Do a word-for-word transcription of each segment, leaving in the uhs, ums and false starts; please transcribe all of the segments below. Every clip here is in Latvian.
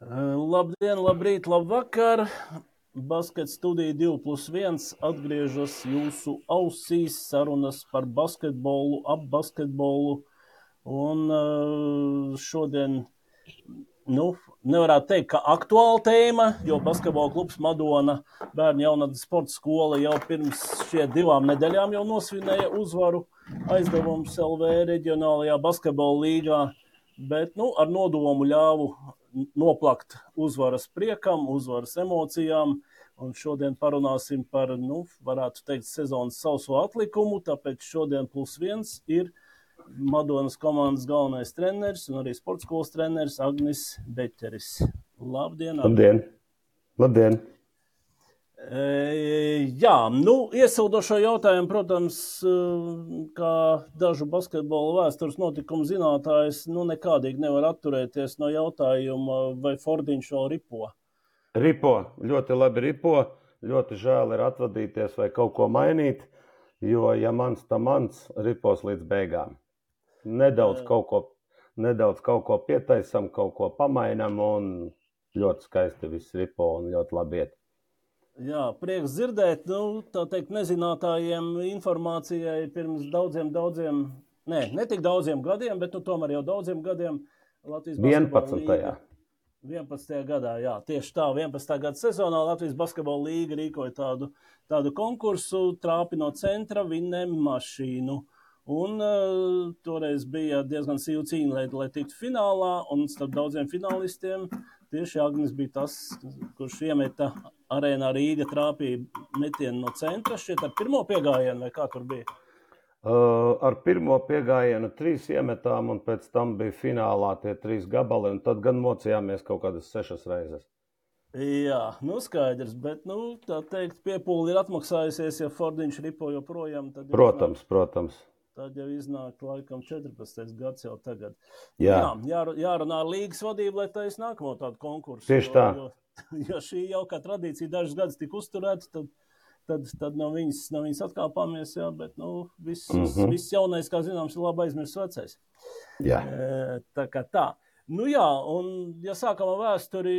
Labdien, labrīt, labvakar! Basket studija divi plus viens atgriežas jūsu ausīs, sarunas par basketbolu, ap basketbolu. Un šodien, nu, nevarētu teikt, ka aktuāla tēma, jo basketbola klubs Madona bērnu jaunatnes sporta skola jau pirms šie divām nedēļām jau nosvinēja uzvaru aizdevums L V reģionālajā basketbola līgā, bet, nu, ar nodomu ļāvu noplakt uzvaras priekam, uzvaras emocijām, un šodien parunāsim par, nu, varētu teikt, sezonas sauso atlikumu, tāpēc šodien plus viens ir Madonas komandas galvenais treneris un arī sporta skolas treneris Agnis Beķeris. Labdien! Labdien! Labdien! E, jā, nu, iesildošo jautājumu, protams, kā dažu basketbola vēstures notikumu zinātājs, nu, nekādīgi nevar atturēties no jautājuma, vai Fordiņš vēl ripo. Ripo, ļoti labi ripo, ļoti žēl ir atvadīties vai kaut ko mainīt, jo, ja mans, tā mans, ripos līdz beigām. Nedaudz kaut ko, nedaudz kaut ko pietaisam, kaut ko pamainam, un ļoti skaisti viss ripo un ļoti labi iet. Jā, prieks dzirdēt, nu, tā teikt, nezinātājiem informācijai pirms daudziem, daudziem, ne, ne tik daudziem gadiem, bet, nu, tomēr jau daudziem gadiem Latvijas basketbola līga. vienpadsmitajā gadā, jā, tieši tā, vienpadsmitā gada sezonā Latvijas basketbola līga rīkoja tādu, tādu konkursu, trāpi no centra, vinēm mašīnu. Un uh, toreiz bija diezgan sīva cīņa, lai, lai tiktu finālā, un starp daudziem finālistiem tieši Agnis bija tas, kurš iemeta arēnā Rīga trāpīja metienu no centra, šķiet ar pirmo piegājienu, vai kā tur bija? Uh, ar pirmo piegājienu trīs iemetām, un pēc tam bija finālā tie trīs gabali, un tad gan mocījāmies kaut kādas sešas reizes. Jā, nu skaidrs, bet, nu, tā teikt, piepūli ir atmaksājusies, ja Fordiņš ripo joprojām. Tad protams, iznāk, protams. Tad jau iznāk laikam četrpadsmitais gads jau tagad. Jā. Jā, jā, jārunā ar līgas vadību, lai taisa nākamo tādu konkursu. Tieši tā. Jo, jo, jo šī jau kā tradīcija dažas gadus tika uzturēta, tad, tad, tad no viņas, no viņas atkāpāmies, jā, bet, nu, viss, mm-hmm. viss jaunais, kā zināms, ir labi aizmirsts vecais. Jā. E, tā kā tā. Nu jā, un ja sākam ar vēsturi,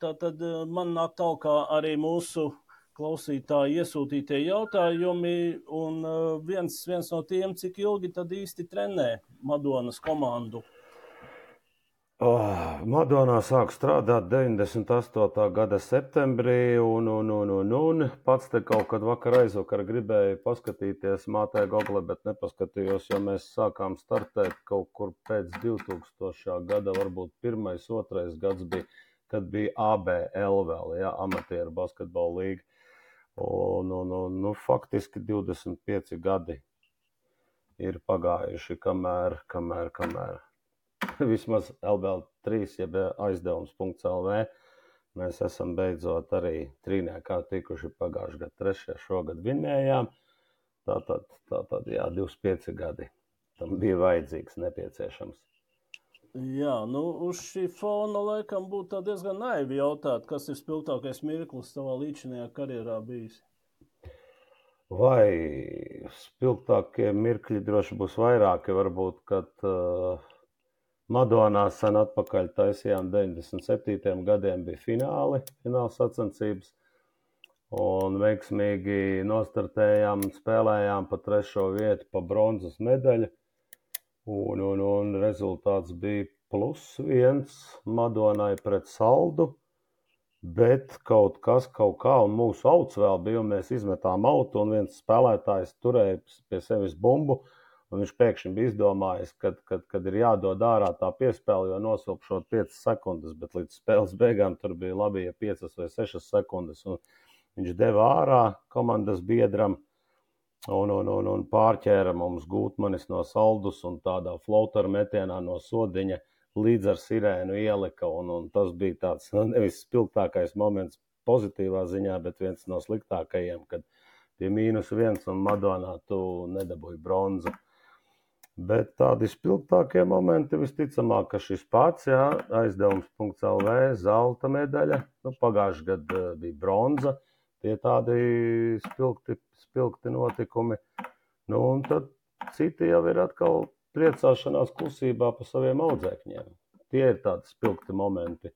tā, tad man nāk talkā arī mūsu klausītāji iesūtītie jautājumi, un viens, viens no tiem, cik ilgi tad īsti trenē Madonas komandu? Oh, Madonā sāk strādāt deviņdesmit astotā gada septembrī, un, un, un, un, un pats te kaut kad vakar aizvakar gribēju paskatīties mātē Google, bet nepaskatījos, jo mēs sākām startēt kaut kur pēc divtūkstošā gada, varbūt pirmais, otrais gads bija, kad bija A B L vēl, ja, amatieru basketbola līga. Un, un, un, nu, faktiski divdesmit pieci gadi ir pagājuši, kamēr, kamēr, kamēr. Vismaz L B L trīs, jeb aizdevums punkts L V, mēs esam beidzot arī trīniekā tikuši pagājuši gadu trešajā, šogad vinējām. Tātad, tātad, jā, divdesmit pieci gadi. Tam bija vajadzīgs, nepieciešams. Jā, nu, uz šī fona laikam būtu diezgan naivi jautāt, kas ir spilgtākais mirklis savā līdzinājā karjerā bijis? Vai spilgtākie mirkļi droši būs vairāki, varbūt, kad uh, Madonā sen atpakaļ taisījām deviņdesmit septītajiem gadiem bija fināli, fināls sacensības, un veiksmīgi nostartējām, spēlējām pa trešo vietu, pa bronzas medaļu. Un, un, un rezultāts bija plus viens Madonai pret saldu, bet kaut kas, kaut kā, un mūsu auts vēl bija, un mēs izmetām autu, un viens spēlētājs turēja pie sevis bumbu, un viņš pēkšņi bija izdomājis, kad, kad, kad ir jādod ārā tā piespēle, jo nosilpšot piecas sekundes, bet līdz spēles beigām tur bija labi, ja piecas vai sešas sekundes, un viņš deva ārā komandas biedram, Un, un, un, un pārķēra mums Gūtmanis no saldus un tādā floateru metienā no sodiņa līdz ar sirēnu ielika. Un, un tas bija tāds nevis spilgtākais moments pozitīvā ziņā, bet viens no sliktākajiem, kad pie mīnus viens un Madonā tu nedabūji bronzu. Bet tādi spilgtākie momenti visticamāk, ka šis pats, jā, aizdevums punkts L V, zelta medaļa, nu, pagājuši gadu bija bronza. Tie tādi spilgti, spilgti notikumi. Nu, un tad citi jau ir atkal priecāšanās klusībā pa saviem audzēkņiem. Tie ir tādi spilgti momenti,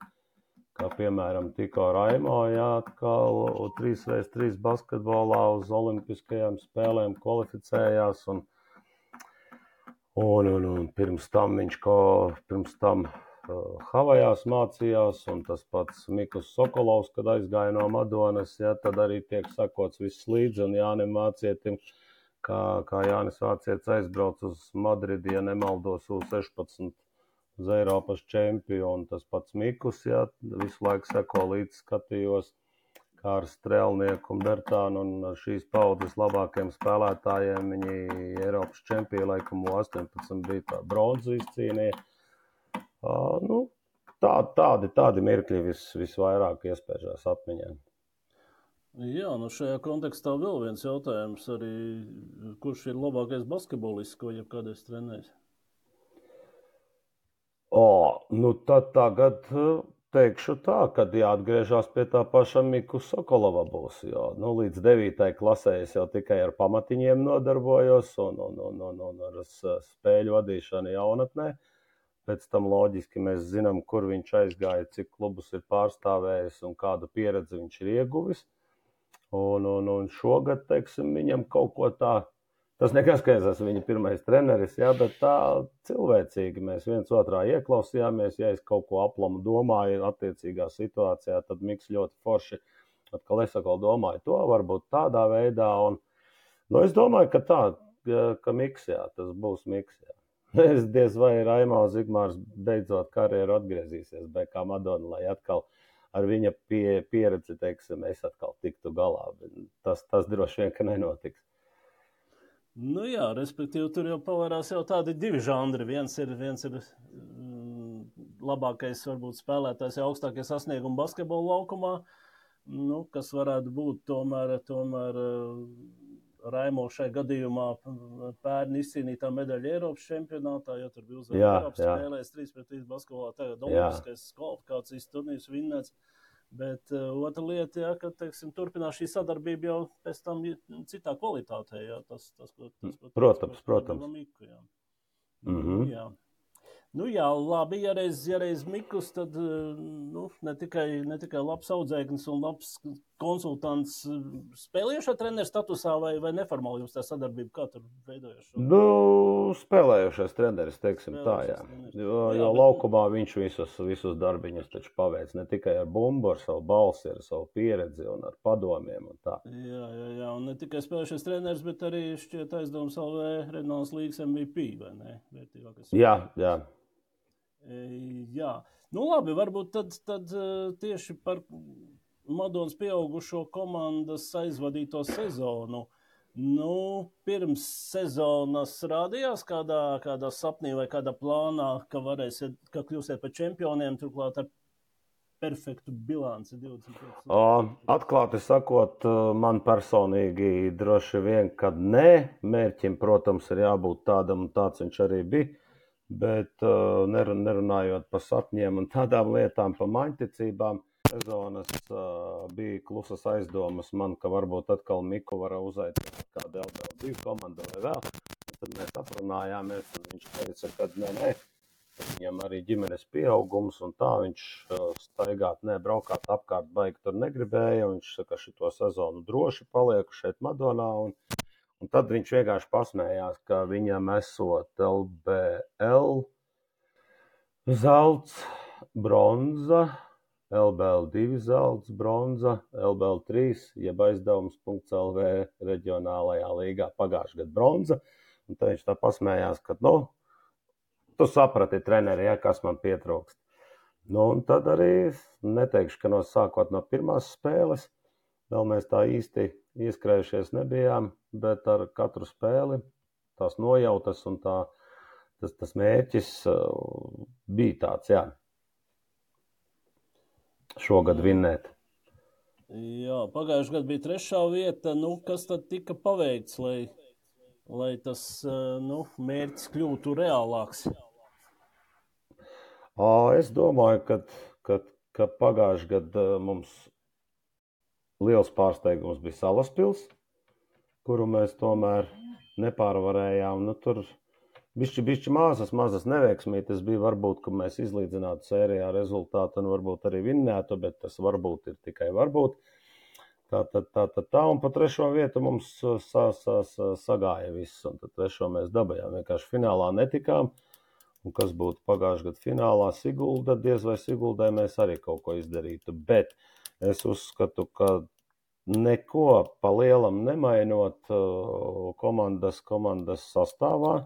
kā piemēram Tiko Raimo, jā, atkal trīs pret trīs basketbolā uz olimpiskajām spēlēm kvalificējās, un, un, un, un pirms tam viņš ko, pirms tam uh, Havajās mācījās, un tas pats Mikus Sokolovs, kad aizgāja no Madonas, jā, tad arī tiek sakots viss līdzi, un Jānim Vācietim, kā, kā Jānis Vācietis aizbrauc uz Madridi, ja nemaldos U sešpadsmit uz Eiropas čempionu, tas pats Mikus, jā, visu laiku seko līdz skatījos, kā ar Strēlnieku un Bertānu un šīs paudzes labākiem spēlētājiem, viņi Eiropas čempionu laikam U astoņpadsmit bija tā bronzu izcīnīja. Uh, nu, tā, tādi, tādi mirkļi vis, visvairāk iespēžās atmiņā. Jā, nu šajā kontekstā vēl viens jautājums arī, kurš ir labākais basketbolists, ko jebkādreiz trenējis? O, nu tad tagad teikšu tā, kad jāatgriežās pie tā paša Miku Sokolova būs, jo nu, līdz devītai klasē es jau tikai ar pamatiņiem nodarbojos un, un, un, un, un ar spēļu vadīšanu jaunatnē. Pēc tam loģiski mēs zinām, kur viņš aizgāja, cik klubus ir pārstāvējis un kādu pieredzi viņš ir ieguvis. Un, un, un šogad, teiksim, viņam kaut ko tā, tas nekas, ka es esmu viņa pirmais treneris, jā, bet tā cilvēcīgi mēs viens otrā ieklausījāmies, ja es kaut ko aplamu domāju attiecīgā situācijā, tad Miks ļoti forši, atkal es atkal domāju to, varbūt tādā veidā, un, nu, es domāju, ka tā, ka Miks, jā, tas būs Miks, jā. Es diez vai Raimo Zigmārs beidzot karjeru atgriezīsies B K Madona, lai atkal ar viņa pie, pieredzi, teiksim, es atkal tiktu galā. Tas, tas droši vien, ka nenotiks. Nu jā, respektīvi, tur jau pavērās jau tādi divi žanri. Viens ir, viens ir mm, labākais, varbūt, spēlētājs, jau augstākie sasniegumi basketbola laukumā, nu, kas varētu būt tomēr, tomēr Raimo šai gadījumā pērni izcīnītā medaļa Eiropas čempionātā, jo tur bija uzvarēta Eiropas spēlēs trīs pret trīs basketbolā, tagad olimpiskais kvalifikācijas turnīrs vinnēts. Bet uh, otra lieta, jā, ka, teiksim, turpinās šī sadarbība jau pēc tam citā kvalitātē, jā, tas, tas, tas, tas protams, protams. Miku, jā. Mm-hmm. Jā. Nu jā, labi, ja reiz, ja reiz Mikus, tad nu, ne, tikai, ne tikai labs audzēknis un labs konsultants spēlējušā treneru statusā vai, vai neformāli jums tā sadarbība, kā tur veidojas? Nu, spēlējušais treneris, teiksim spēlējušais tā, jā. Jo, jo jā, laukumā bet... viņš visus, visus darbiņus taču paveic, ne tikai ar bumbu, ar savu balsi, ar savu pieredzi un ar padomiem un tā. Jā, jā, jā, un ne tikai spēlējušais treneris, bet arī šķiet aizdevums L V Reģionālās līgas M V P, vai ne? Vērtīgākais. Jā, jā. Jā, nu labi, varbūt tad, tad tieši par Madonas pieaugušo komandas aizvadīto sezonu. Nu, pirms sezonas rādījās kādā, kādā sapnī vai kādā plānā, ka varēsiet, ka kļūsiet par čempioniem, turklāt ar perfektu bilanci divdesmit pieci. Atklāti sakot, man personīgi droši vien, kad nē, mērķim, protams, ir jābūt tādam, un tāds viņš arī bija. Bet uh, nerunājot par sapņiem un tādām lietām, par maņticībām, sezonas uh, bija klusas aizdomas man, ka varbūt atkal Miku var uzaicināt kādu L B L divu komandu vai vēl. Tad mēs aprunājāmies, un viņš teica, ka nē, nē, viņam arī ģimenes pieaugums un tā, viņš uh, staigāt, nē, braukāt apkārt baigi tur negribēja, un viņš saka, šito sezonu droši palieku šeit Madonā, un Un tad viņš vienkārši pasmējās, ka viņam esot L B L zelts, bronza, L B L divi zelts, bronza, L B L trīs, jeb aizdevums punkts L V reģionālajā līgā pagājušajā gadu bronza. Un tad viņš tā pasmējās, ka, nu, tu saprati, treneri, ja, kas man pietrūkst. Nu, un tad arī neteikšu, ka no sākot no pirmās spēles, vēl mēs tā īsti ieskrējušies nebijām, bet ar katru spēli tās nojautas un tā, tas, tas mērķis uh, bija tāds, jā, šogad vinnēt. Jā, pagājušajā gadā bija trešā vieta, nu, kas tad tika paveikts, lai, lai tas uh, nu, mērķis kļūtu reālāks? Ā, es domāju, ka, ka, ka pagājušajā gadā mums liels pārsteigums bija Salaspils, kuru mēs tomēr nepārvarējām. Nu, tur bišķi, bišķi mazas, mazas neveiksmītas bija, varbūt, ka mēs izlīdzinātu sērijā rezultātu un varbūt arī vinnētu, bet tas varbūt ir tikai varbūt. Tā, tā, tā, tā, tā, un pa trešo vietu mums sa, sa, sa, sagāja viss, un tad trešo mēs dabajām. Vienkārši finālā netikām, un kas būtu pagājušajā gadu finālā Sigulda, diez vai Siguldai mēs arī kaut ko izdarītu. Bet es uzskatu, ka neko pa lielam nemainot komandas, komandas sastāvā,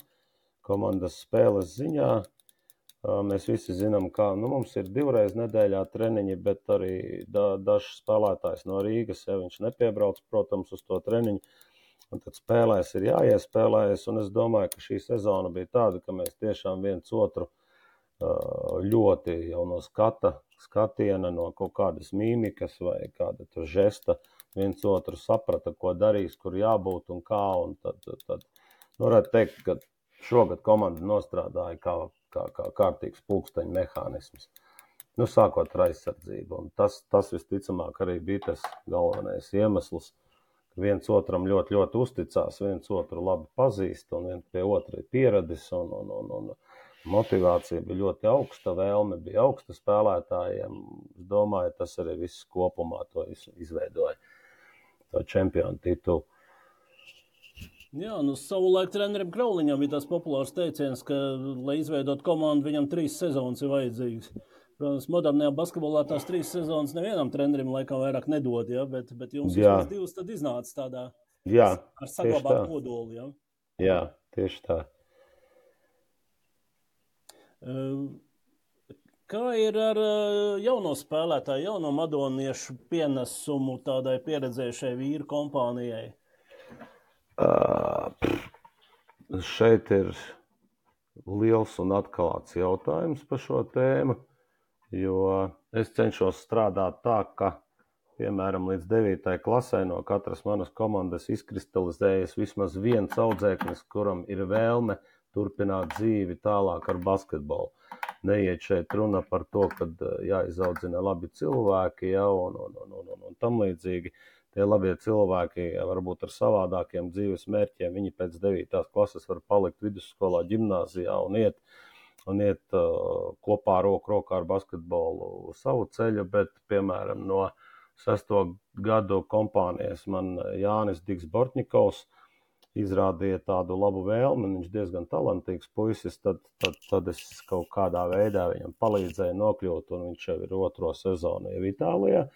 komandas spēles ziņā. Mēs visi zinām, kā nu, mums ir divreiz nedēļā treniņi, bet arī da, dažs spēlētājs no Rīgas, ja viņš nepiebrauc, protams, uz to treniņu, un tad spēlēs ir jāiespēlējas, un es domāju, ka šī sezona bija tāda, ka mēs tiešām viens otru ļoti jau no skata, skatiena, no kaut kādas mīmikas vai kāda tur žesta, viens otru saprata, ko darīs, kur jābūt un kā, un tad, tad, tad nu, varētu teikt, ka šogad komanda nostrādāja kā kā, kā kārtīgs pulksteņu mehānisms. Nu, sākot ar aizsardzību. Un tas, tas visticamāk arī bija tas galvenais iemesls, ka viens otram ļoti, ļoti uzticās, viens otru labi pazīst un viens pie otra ir pieradis un, un, un, un motivācija bija ļoti augsta, vēlme bija augsta spēlētājiem. Es domāju, tas arī viss kopumā to izveidoja, to čempionu titulu. Jā, nu savulaik trenerim Krauliņam bija tas populārs teiciens, ka, lai izveidot komandu, viņam trīs sezonas ir vajadzīgas. Protams, modernajā basketbolā tās trīs sezonas nevienam trenerim laikam vairāk nedod, ja? bet, bet jums vismaz divas tad iznāca tādā jā, ar saglabāt kodoli. Ja? Jā, tieši tā. Kā ir ar jauno spēlētāju, jauno madoniešu pienesumu tādai pieredzējušai vīru kompānijai? Uh, šeit ir liels un atklāts jautājums par šo tēmu, jo es cenšos strādāt tā, ka, piemēram, līdz devītai klasē no katras manas komandas izkristalizējas vismaz viens audzēknis, kuram ir vēlme turpināt dzīvi tālāk ar basketbolu. Neiet šeit runa par to, kad jāizaudzina labi cilvēki, ja, un, un, un, un, un, un tam līdzīgi. Tie labie cilvēki, varbūt ar savādākiem dzīves mērķiem, viņi pēc devītās klases var palikt vidusskolā, ģimnāzijā un iet, un iet uh, kopā roku rokā ar basketbolu savu ceļu, bet, piemēram, no sesto gadu kompānijas man Jānis Digs Bortņikovs izrādīja tādu labu vēlmi, viņš diezgan talantīgs puisis, tad, tad, tad es kaut kādā veidā viņam palīdzēju nokļūt, un viņš jau ir otro sezonu jau Itālijā.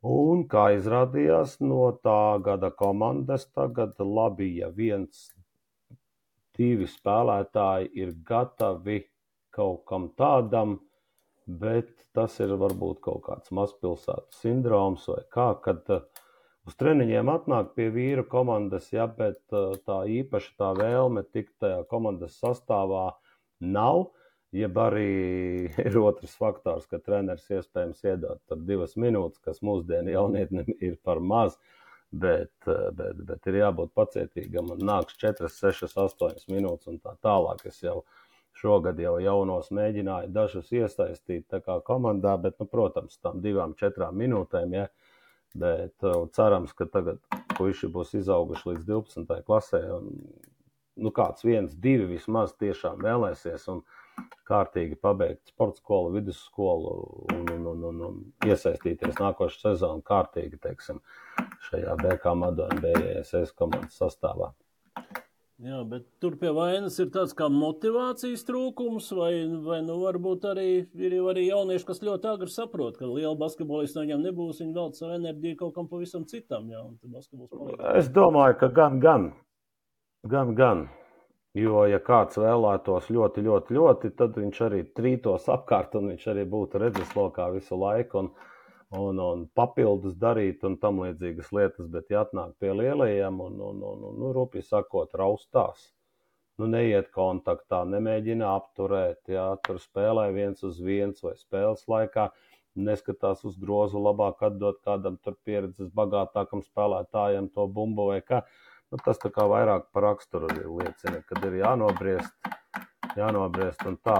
Un, kā izrādījās, no tā gada komandas tagad labi, ja viens, divi spēlētāji ir gatavi kaut kam tādam, bet tas ir varbūt kaut kāds mazpilsētu sindroms vai kā, kad uz treniņiem atnāk pie vīru komandas, ja, bet tā īpaši tā vēlme tikt tajā komandas sastāvā nav. Jeb arī ir otrs faktors, ka treneris iespējams iedod tur divas minūtes, kas mūsdienu jaunietnim ir par maz, bet, bet, bet ir jābūt pacietīgam un nāks četras, sešas, astoņas minūtes un tā tālāk. Es jau šogad jau jaunos mēģināju dažus iesaistīt tā kā komandā, bet, nu, protams, tam divām, četrām minūtēm, ja, bet cerams, ka tagad puiši būs izauguši līdz divpadsmitajai klasē un, nu, kāds viens, divi vismaz tiešām vēlēsies un kārtīgi pabeigt sporta skolu, vidusskolu un, un, un, un, un iesaistīties nākošu sezonu kārtīgi, teiksim, šajā B K Madona B J S S komandas sastāvā. Jā, bet tur pie vainas ir tāds kā motivācijas trūkums, vai, vai nu varbūt arī ir arī jaunieši, kas ļoti agri saprot, ka liela basketbolista viņam nebūs, viņi velc savu enerģiju kaut kam pavisam citam, jā, un tad basketbols paliek. Es domāju, ka gan, gan, gan, gan. Jo, ja kāds vēlētos ļoti, ļoti, ļoti, tad viņš arī trītos apkārt un viņš arī būtu redzeslokā visu laiku un, un, un papildus darīt un tam līdzīgas lietas, bet ja atnāk pie lielajiem un, un, un, un nu, rupji sakot, raustās, nu, neiet kontaktā, nemēģina apturēt, jā, tur spēlē viens uz viens vai spēles laikā, neskatās uz grozu, labāk atdot kādam tur pieredzes bagātākam spēlētājam to bumbu vai kā. Nu, tas tā kā vairāk par raksturu liecina, kad ir jānobriest, jānobriest un tā.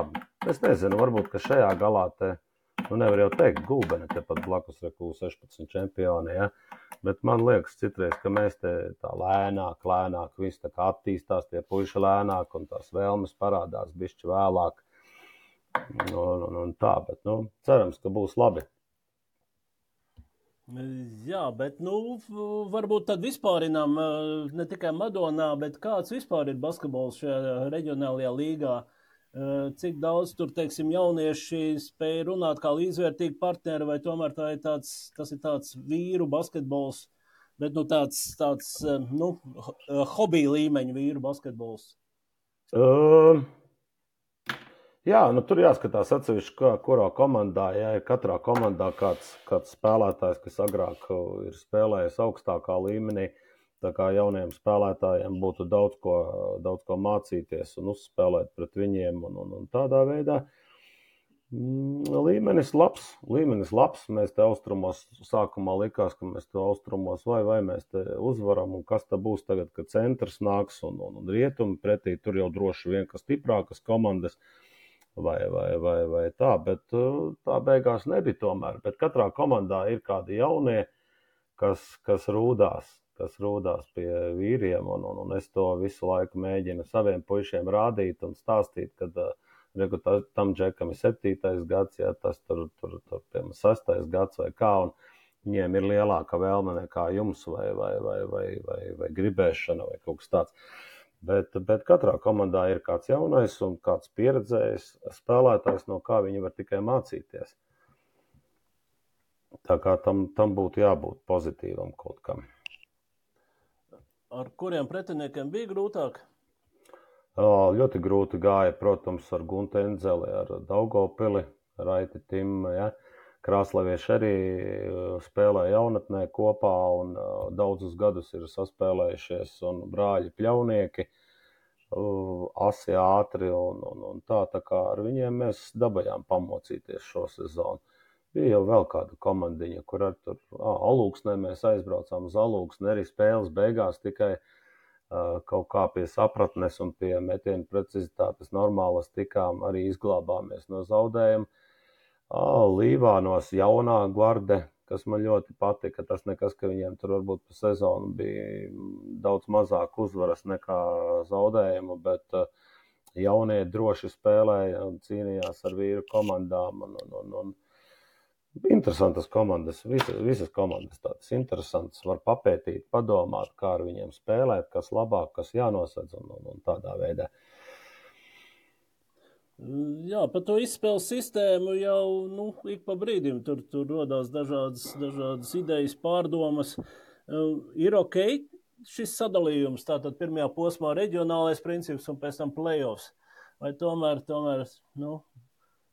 Es nezinu, varbūt, ka šajā galā te, nu nevar jau teikt, Gulbene te pat blakus ir U sešpadsmit čempioni, ja, Bet man liekas citreiz, ka mēs te tā lēnāk, lēnāk, viss tā kā attīstās, tie puiši lēnāk un tās vēlmes parādās bišķi vēlāk. Un, un, un tā, bet, nu, cerams, ka būs labi. Jā, bet, nu, varbūt tad vispārinām ne tikai Madonā, bet kāds vispār ir basketbols šajā reģionālajā līgā? Cik daudz tur, teiksim, jaunieši spēja runāt kā līdzvērtīgi partneri, vai tomēr tā ir tāds, tas ir tāds vīru basketbols, bet, nu, tāds, tāds, nu, hobija līmeņa vīru basketbols? Uh, jā, nu, tur jāskatās atsevišķi, kā, kurā komandā, ja ir katrā komandā kāds, kāds spēlētājs, kas agrāk ir spēlējis augstākā līmenī, tā kā jauniem spēlētājiem būtu daudz ko, daudz ko mācīties un uzspēlēt pret viņiem un, un, un tādā veidā. Līmenis labs, līmenis labs. Mēs te austrumos sākumā likās, ka mēs te austrumos vai, vai mēs te uzvaram un kas te būs tagad, kad centrs nāks un, un, un rietumi pretī, tur jau droši vien, ka stiprākas komandas vai, vai, vai, vai tā, bet tā beigās nebija tomēr. Bet katrā komandā ir kādi jaunie, kas, kas rūdās. kas rūdās pie vīriem, un, un, un es to visu laiku mēģinu saviem puišiem rādīt un stāstīt, kad uh, tam džekam ir septītais gads, ja tas tur, tur, tur piemēram, sastais gads vai kā, un viņiem ir lielāka vēlme nekā jums vai, vai, vai, vai, vai, vai gribēšana vai kaut kas tāds. Bet, bet katrā komandā ir kāds jaunais un kāds pieredzējis spēlētājs, no kā viņi var tikai mācīties. Tā kā tam, tam būtu jābūt pozitīvam kaut kam. Ar kuriem pretiniekiem bija grūtāk? O, ļoti grūti gāja, protams, ar Guntu Endzeli, ar Daugavpili, Raiti Timu, ja. Krāslavieši arī spēlēja jaunatnē kopā un daudzus gadus ir saspēlējušies un brāļi pļaunieki, asi ātri un, un, un tā, tā kā ar viņiem mēs dabajām pamocīties šo sezonu. Bija jau vēl kāda komandiņa, kur ar tur ā, Alūksnē mēs aizbraucām uz Alūksni, arī spēles beigās tikai uh, kaut kā pie sapratnes un pie metienu precizitātes normālas tikām, arī izglābāmies no zaudējuma. Ā, Līvānos jaunā gvarde, kas man ļoti patika, tas nekas, ka viņiem tur varbūt pa sezonu bija daudz mazāk uzvaras nekā zaudējumu, bet uh, jaunie droši spēlēja un cīnījās ar vīru komandām un, un, un, un interesantas komandas, visas, visas komandas tādas interesantas, var papētīt, padomāt, kā ar viņiem spēlēt, kas labāk, kas jānosedz un, un, un tādā veidā. Jā, par to izspēles sistēmu jau nu, ik pa brīdim tur, tur rodās dažādas, dažādas idejas, pārdomas. Ir ok šis sadalījums, tātad pirmajā posmā reģionālais princips un pēc tam playoffs. Vai tomēr, tomēr nu,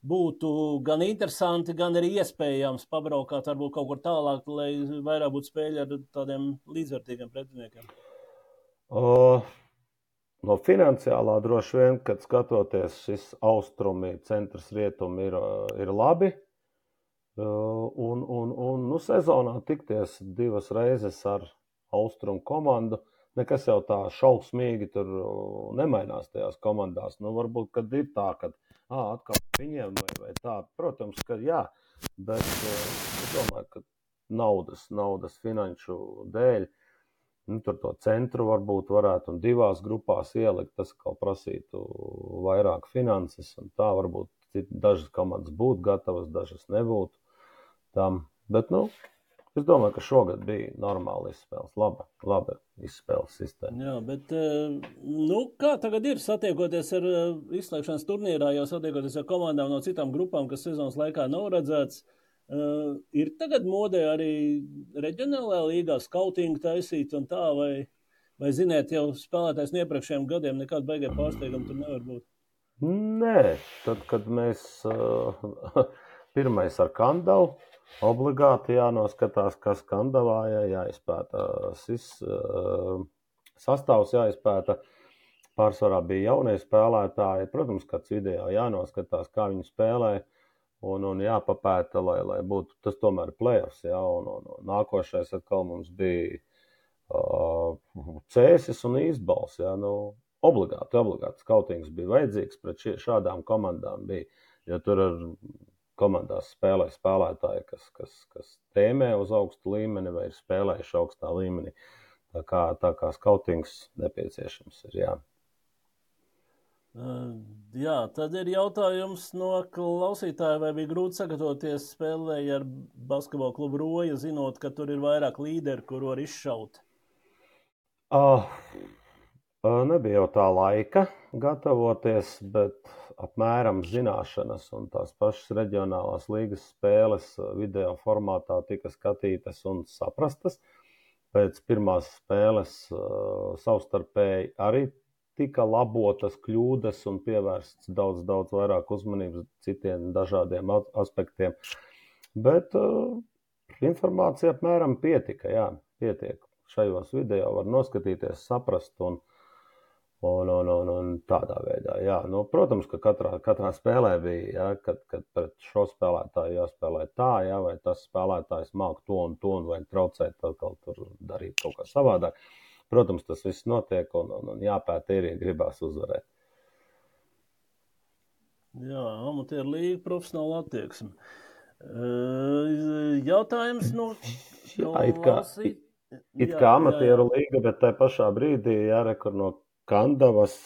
būtu gan interesanti, gan arī iespējams pabraukāt varbūt kaut kur tālāk, lai vairāk būtu spēļi ar tādiem līdzvērtīgiem pretiniekiem? O, no finansiālā droši vien, kad skatoties šis austrumi, centrs rietumi ir, ir labi. Un, un, un nu, sezonā tikties divas reizes ar austrumu komandu, nekas jau tā šausmīgi tur nemainās tajās komandās. Nu, varbūt, kad ir tā, kad ā, atkal viņiem vai, vai tā. Protams, ka jā, bet es domāju, ka naudas, naudas finanšu dēļ, nu, tur to centru varbūt varētu un divās grupās ielikt, tas kā prasītu vairāk finanses, un tā varbūt dažas komandas būtu gatavas, dažas nebūtu tam. Bet, nu, es domāju, ka šogad bija normāli izspēles, laba, laba izspēles sistēma. Jā, bet, nu, kā tagad ir satiekoties ar izslēgšanas turnīrā, jau satiekoties ar komandām no citām grupām, kas sezonas laikā nav redzēts, uh, ir tagad modē arī reģionālajā līgā skautingu taisīt un tā, vai, vai ziniet, jau spēlētājs no iepriekšējiem gadiem nekāda beigie pārsteigumi tur nevar būt? Nē, tad, kad mēs uh, pirmais ar Kandavu, obligāti jānoskatās, kas Kandavā jā, jāizpēta. Sis, uh, sastāvs jāizpēta. Pārsvarā bija jaunie spēlētāji. Protams, kāds video jānoskatās, kā viņi spēlē. Un, un jāpapēta, lai, lai būtu tas tomēr playoffs. Jā, un, un, un nākošais atkal mums bija uh, Cēsis un Īstbals. Jā, nu, obligāti, obligāti skautings bija vajadzīgs pret šie, šādām komandām. Bija, jo tur ar komandās spēlē spēlētāji, kas, kas, kas tēmē uz augstu līmeni vai ir spēlējuši augstā līmenī. Tā kā, tā kā skautings nepieciešams ir, jā. Uh, jā, tad ir jautājums no klausītāja, vai bija grūti sagatavoties spēlēji ar basketbola klubu Roja, zinot, ka tur ir vairāk līderi, kuru var izšaut? Uh, nebija jau tā laika gatavoties, bet apmēram zināšanas un tās pašas reģionālās līgas spēles video formātā tika skatītas un saprastas. Pēc pirmās spēles uh, savstarpēji arī tika labotas kļūdas un pievērsts daudz, daudz vairāk uzmanības citiem dažādiem aspektiem. Bet uh, informācija apmēram pietika, jā, pietiek. Šajos video var noskatīties, saprast un, un, un, un, un tādā veidā. Jā. Nu, protams, ka katrā, katrā spēlē bija, jā, kad, kad pret šo spēlētāju jāspēlē tā, jā, vai tas spēlētājs māk to un to un vai traucēt atkal tur darīt kaut kā savādāk. Protams, tas viss notiek un, un, un jāpēta ir, ja gribās uzvarēt. Jā, amatieru līga, profesionāla attieksme. Jautājums no... Jā, it kā, it, it kā amatieru līga, bet tai pašā brīdī jārekur no Kandavas,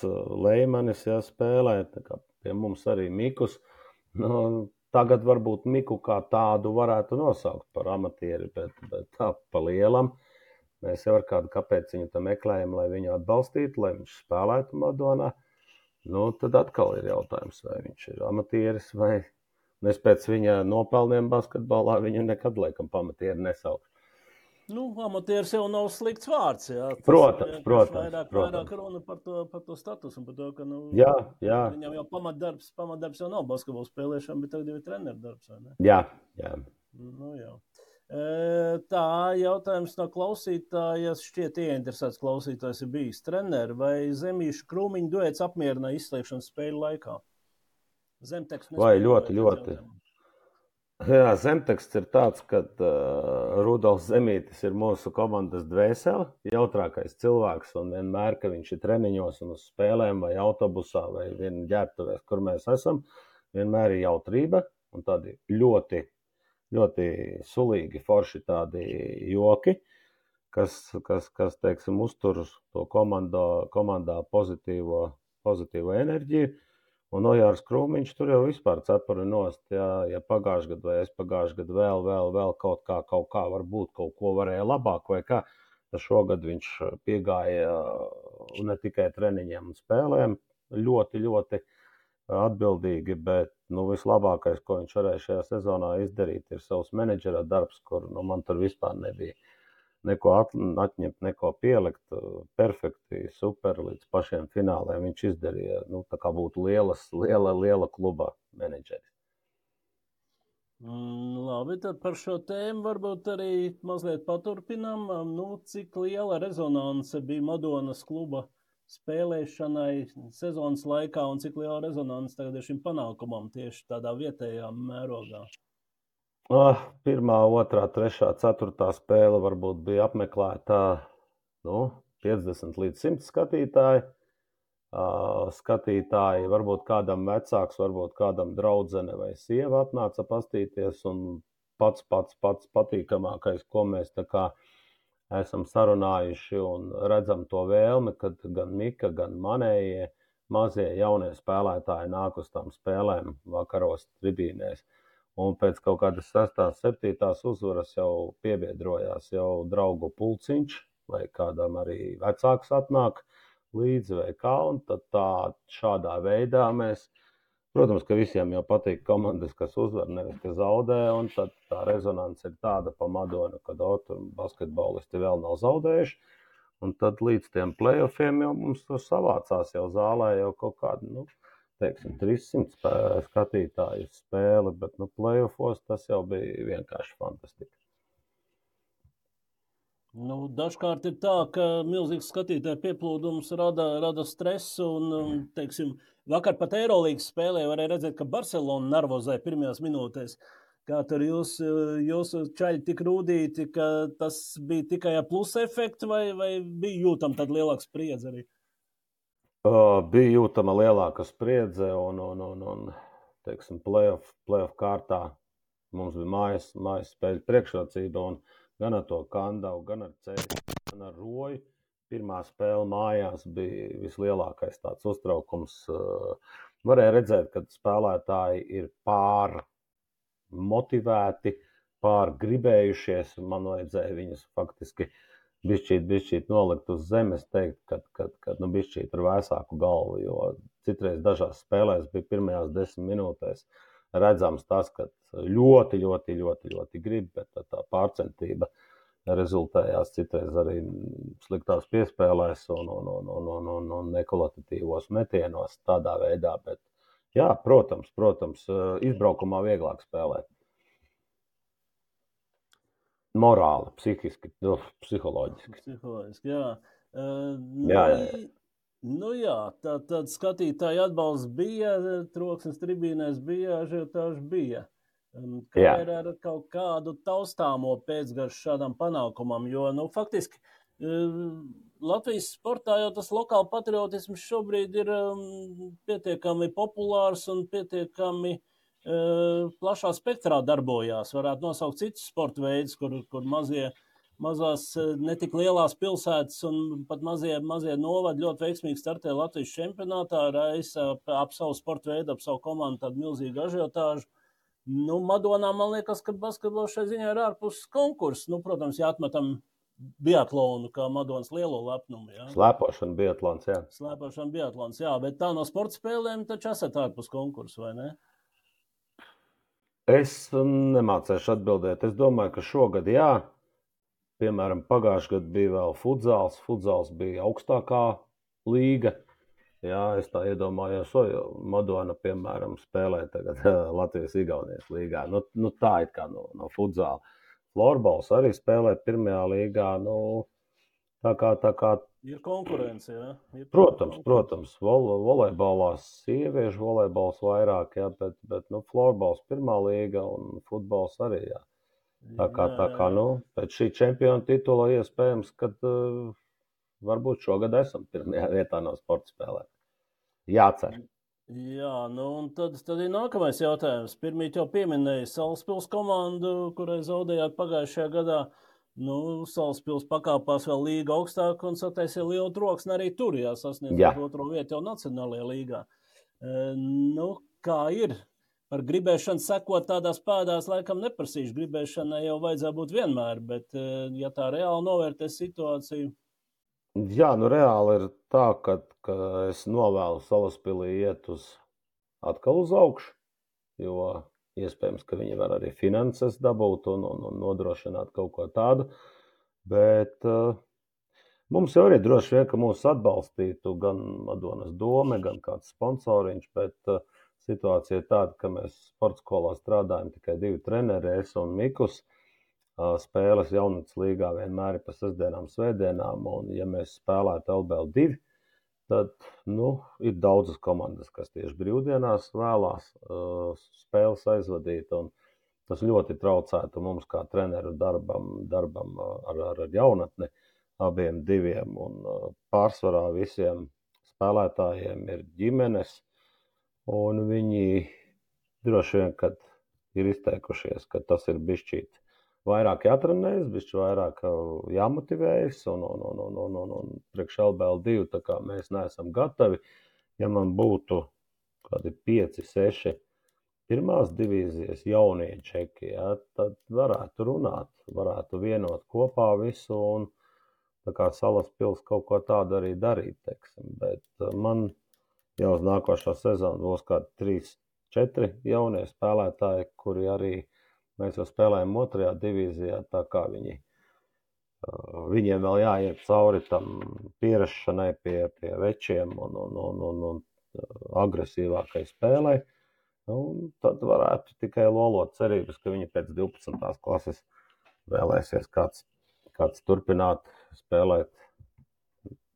Leimanis jāspēlē, tā kā pie mums arī Mikus. Nu, tagad varbūt Miku kā tādu varētu nosaukt par amatieri, bet, bet tā pa lielam. Mēs jau ar kādu kāpēc viņu tam meklējam, lai viņu atbalstītu, lai viņš spēlētu Madonā. Nu, tad atkal ir jautājums, vai viņš ir amatieris vai... Es pēc viņa nopelniem basketbolā viņu nekad, laikam, pamatieri nesaukšu. Nu, amatieris jau nav slikts vārds, jā. Tas protams, ir, protams. Vairāk, protams. vairāk runa par to, par to statusu un par to, ka, nu, jā, jā. viņam jau pamatdarbs, pamatdarbs jau nav basketbola spēlēšana, bet tagad jau ir treneru darbs, vai ne? Jā, jā. Nu, jā. E, tā, jautājums no klausītājas, šķiet ieinteresēts klausītājs ir bijis treneri, vai Zemīšu Krūmiņu duets apmierināja izslēgšanas spēļu laikā? Zemteksts vai ļoti, ļoti. Jā, zemteksts ir tāds, ka uh, Rudolfs Zemītis ir mūsu komandas dvēsele, jautrākais cilvēks, un vienmēr, ka viņš ir treniņos un uz spēlēm vai autobusā vai vien ģērbtuvēs, kur mēs esam, vienmēr ir jautrība un tādi ļoti, ļoti sulīgi, forši tādi joki, kas, kas, kas teiksim, uztur to komandā, komandā pozitīvo, pozitīvo enerģiju. Un Ojārs Krūmiņš tur jau vispār cepuri nost, ja, ja pagājuši gadu vai es pagājuši gadu vēl, vēl, vēl kaut kā, kaut kā varbūt kaut ko varēja labāk vai kā, tad šogad viņš piegāja ne tikai treniņiem un spēlēm ļoti, ļoti atbildīgi, bet nu, vislabākais, ko viņš varēja šajā sezonā izdarīt, ir savs menedžera darbs, kur nu, man tur vispār nebija neko atņemt, neko pielikt, perfekti, super, līdz pašiem fināliem viņš izdarīja, nu, tā kā būtu lielas, liela, liela kluba menedžeris. Mm, labi, tad par šo tēmu varbūt arī mazliet paturpinām. Nu, cik liela rezonance bija Madonas kluba spēlēšanai sezonas laikā un cik liela rezonance tagad ir šim panākumam tieši tādā vietējā mērogā? Oh, pirmā, otrā, trešā, ceturtā spēle varbūt bija apmeklētā nu, piecdesmit līdz simt skatītāji. Uh, skatītāji, varbūt kādam vecāks, varbūt kādam draudzene vai sieva atnāca pastīties, un pats, pats, pats patīkamākais, ko mēs tā kā esam sarunājuši un redzam to vēlmi, kad gan Mika, gan manējie mazie jaunie spēlētāji nāk uz tām spēlēm vakaros tribīnēs. Un pēc kaut kādas sestās, septītās uzvaras jau piebiedrojās jau draugu pulciņš, vai kādam arī vecāks atnāk līdzi vai kā, un tad tā šādā veidā mēs, protams, ka visiem jau patīk komandas, kas uzvar, nevis, ka zaudē, un tad tā rezonance ir tāda pa Madonu, kad o, tur basketbolisti vēl nav zaudējuši, un tad līdz tiem playoffiem jau mums tur savācās jau zālē jau kaut kādi, nu, teiksim, trīssimt skatītāju spēli, bet nu, playoffos tas jau bija vienkārši fantastika. Nu, dažkārt ir tā, ka milzīgs skatītāju pieplūdums rada, rada stresu un, un, teiksim, vakar pat Eirolīgas spēlē varēja redzēt, ka Barcelona nervozē pirmajās minūtēs. Kā tur jūs, jūsu čaļi tik rūdīti, ka tas bija tikai plusa efekti vai, vai bija jūtam tad lielāks spriedze arī? Uh, bija jūtama lielāka spriedze un, un, un, un teiksim, playoff, playoff kārtā mums bija mājas, mājas spēļu priekšrocība, un gan ar to Kandavu, gan ar Ceļu, gan ar Roju. Pirmā spēle mājās bija vislielākais tāds uztraukums. Varēja redzēt, ka spēlētāji ir pār motivēti, pār gribējušies. Man vajadzēja viņus faktiski bišķīt, bišķīt nolikt uz zemes, teikt, kad, kad, kad nu, bišķīt ar vēsāku galvu, jo citreiz dažās spēlēs bija pirmajās desmit minūtēs redzams tas, ka ļoti, ļoti, ļoti, ļoti grib, bet tā, tā pārcentība rezultējās citreiz arī sliktās piespēlēs un, un, un, un, un, un, un nekvalitatīvos metienos tādā veidā, bet jā, protams, protams, izbraukumā vieglāk spēlēt. Morāli, psihiski, nu, psiholoģiski. Psiholoģiski, jā. Uh, jā, jā, jā. Nu jā, tā, tad skatītāji atbalsts bija, troksnis tribīnēs bija, ažiotāži bija. Kā jā. Ir ar kaut kādu taustāmo pēcgaršu šādam panākumam, jo, nu, faktiski Latvijas sportā jau tas lokāla patriotisms šobrīd ir um, pietiekami populārs un pietiekami uh, plašā spektrā darbojās. Varētu nosaukt citus sporta veidus, kur, kur mazie, mazās, netik lielās pilsētas un pat mazie, mazie novadi ļoti veiksmīgi startē Latvijas čempionātā, raisa ap savu sporta veidu, ap savu komandu tādu milzīgu ažiotāžu. Nu, Madonā, man liekas, ka basketbols šai ziņā ir ārpus konkursu. Nu, protams, jāatmetam biatlonu kā Madonas lielo lepnumu. Jā. Slēpošana biatlons, jā. Slēpošana biatlons, jā, bet tā no sporta spēlēm taču esat ārpus konkursu, vai ne? Es nemācēšu atbildēt. Es domāju, ka šogad jā. Piemēram, pagājušajā gadā bija vēl futzāls. Futzāls bija augstākā līga. Jā, es tā iedomājos, o, Madona, piemēram, spēlē tagad Latvijas-Igaunijas līgā. Nu, nu tā ir kā no, no futzāla. Florbols arī spēlē pirmajā līgā. Nu, tā kā, tā kā... Ir konkurence, jā? Ir protams, konkurence. protams. Vol, volejbolās sieviešu volejbols vairāk, jā, bet, bet nu, florbols pirmā līga un futbols arī, jā. Tā kā, tā kā, nu, pēc šī čempiona titula iespējams, kad... Uh, varbūt šogad esam pirmajā vietā no sporta spēlēm. Jācer. Jā, nu un tad, tad ir nākamais jautājums. Pirmīt jau pieminēja Salaspils komandu, kurai zaudējāt pagājušajā gadā. Nu, Salaspils pakāpās vēl līga augstāk un sataisīja lielu troksni arī tur, jā, sasniedzot otro vietu jau Nacionālajā līgā. E, nu, kā ir? Par gribēšanu sekot tādās pēdās laikam neprasīšu. Gribēšanai jau vajadzētu būt vienmēr, bet ja tā reāli novērtē situāciju, jā, nu reāli ir tā, ka, ka es novēlu Salaspilī iet uz atkal uz augšu, jo iespējams, ka viņi var arī finanses dabūt un, un, un nodrošināt kaut ko tādu, bet uh, mums jau arī droši vien, ka mūs atbalstītu gan Madonas dome, gan kāds sponsoriņš, bet uh, situācija ir tāda, ka mēs sporta skolā strādājam tikai divi treneri, es un Mikus. Spēles jaunatnes līgā vienmēr ir pa sestdienām, svētdienām, un ja mēs spēlētu L B L divi, tad, nu, ir daudzas komandas, kas tieši brīvdienās vēlās uh, spēles aizvadīt, un tas ļoti traucētu mums kā treneru darbam, darbam ar, ar, ar jaunatni abiem diviem, un uh, pārsvarā visiem spēlētājiem ir ģimenes, un viņi droši vien, kad ir izteikušies, ka tas ir bišķīt vairāk jātrenējas, bišķi vairāk jāmotivējas, un, un, un, un, un, un, un priekš L B L divi, tā kā mēs neesam gatavi. Ja man būtu kādi pieci, seši pirmās divīzijas jaunie čeki, jā, tad varētu runāt, varētu vienot kopā visu, un tā kā Salaspils kaut ko tādu arī darīt, teiksim. Bet man jau uz nākošā sezona būs kādi trīs, četri jaunie spēlētāji, kuri arī mēs jau spēlējam otrajā divīzijā, tā kā viņi, viņiem vēl jāiet cauri tam pierašanai pie, pie večiem un, un, un, un, un agresīvākai spēlei. Un tad varētu tikai lolot cerības, ka viņi pēc divpadsmitās klases vēlēsies kāds, kāds turpināt spēlēt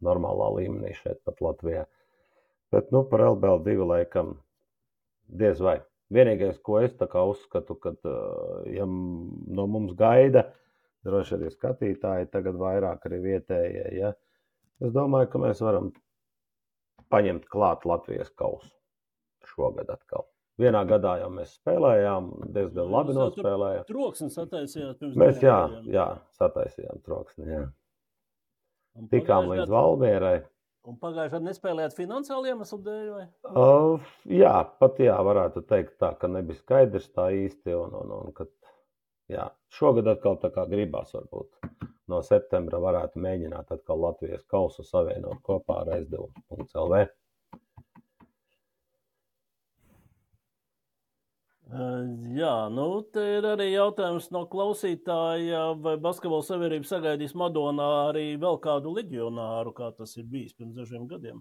normālā līmenī šeit pat Latvijā. Bet, nu, par L B L divi laikam diez vai. Vienīgais, ko es tā kā uzskatu, kad, ja no mums gaida, droši arī skatītāji, tagad vairāk arī vietējie, ja, es domāju, ka mēs varam paņemt klāt Latvijas kausu šogad atkal. vienā gadā jau mēs spēlējām, diezgan labi nospēlējām. Troksni sataisījāt pirms Mēs, jā, gadiem. jā, sataisījām troksni, jā. Tikām līdz Valmierai. Un pagājušajā gadā nespēlējāt finansiāli iemeslu dēļ, vai? Uh, jā, pat jā, varētu teikt tā, ka nebija skaidrs tā īsti, un, un, un kad, jā, šogad atkal tā kā gribās varbūt no septembra varētu mēģināt atkal Latvijas kausu savienot kopā ar S D U punkts L V. Uh, jā, nu, te ir arī jautājums no klausītāja, vai Basketbola savienība sagaidīs Madonā arī vēl kādu leģionāru, kā tas ir bijis pirms dažiem gadiem?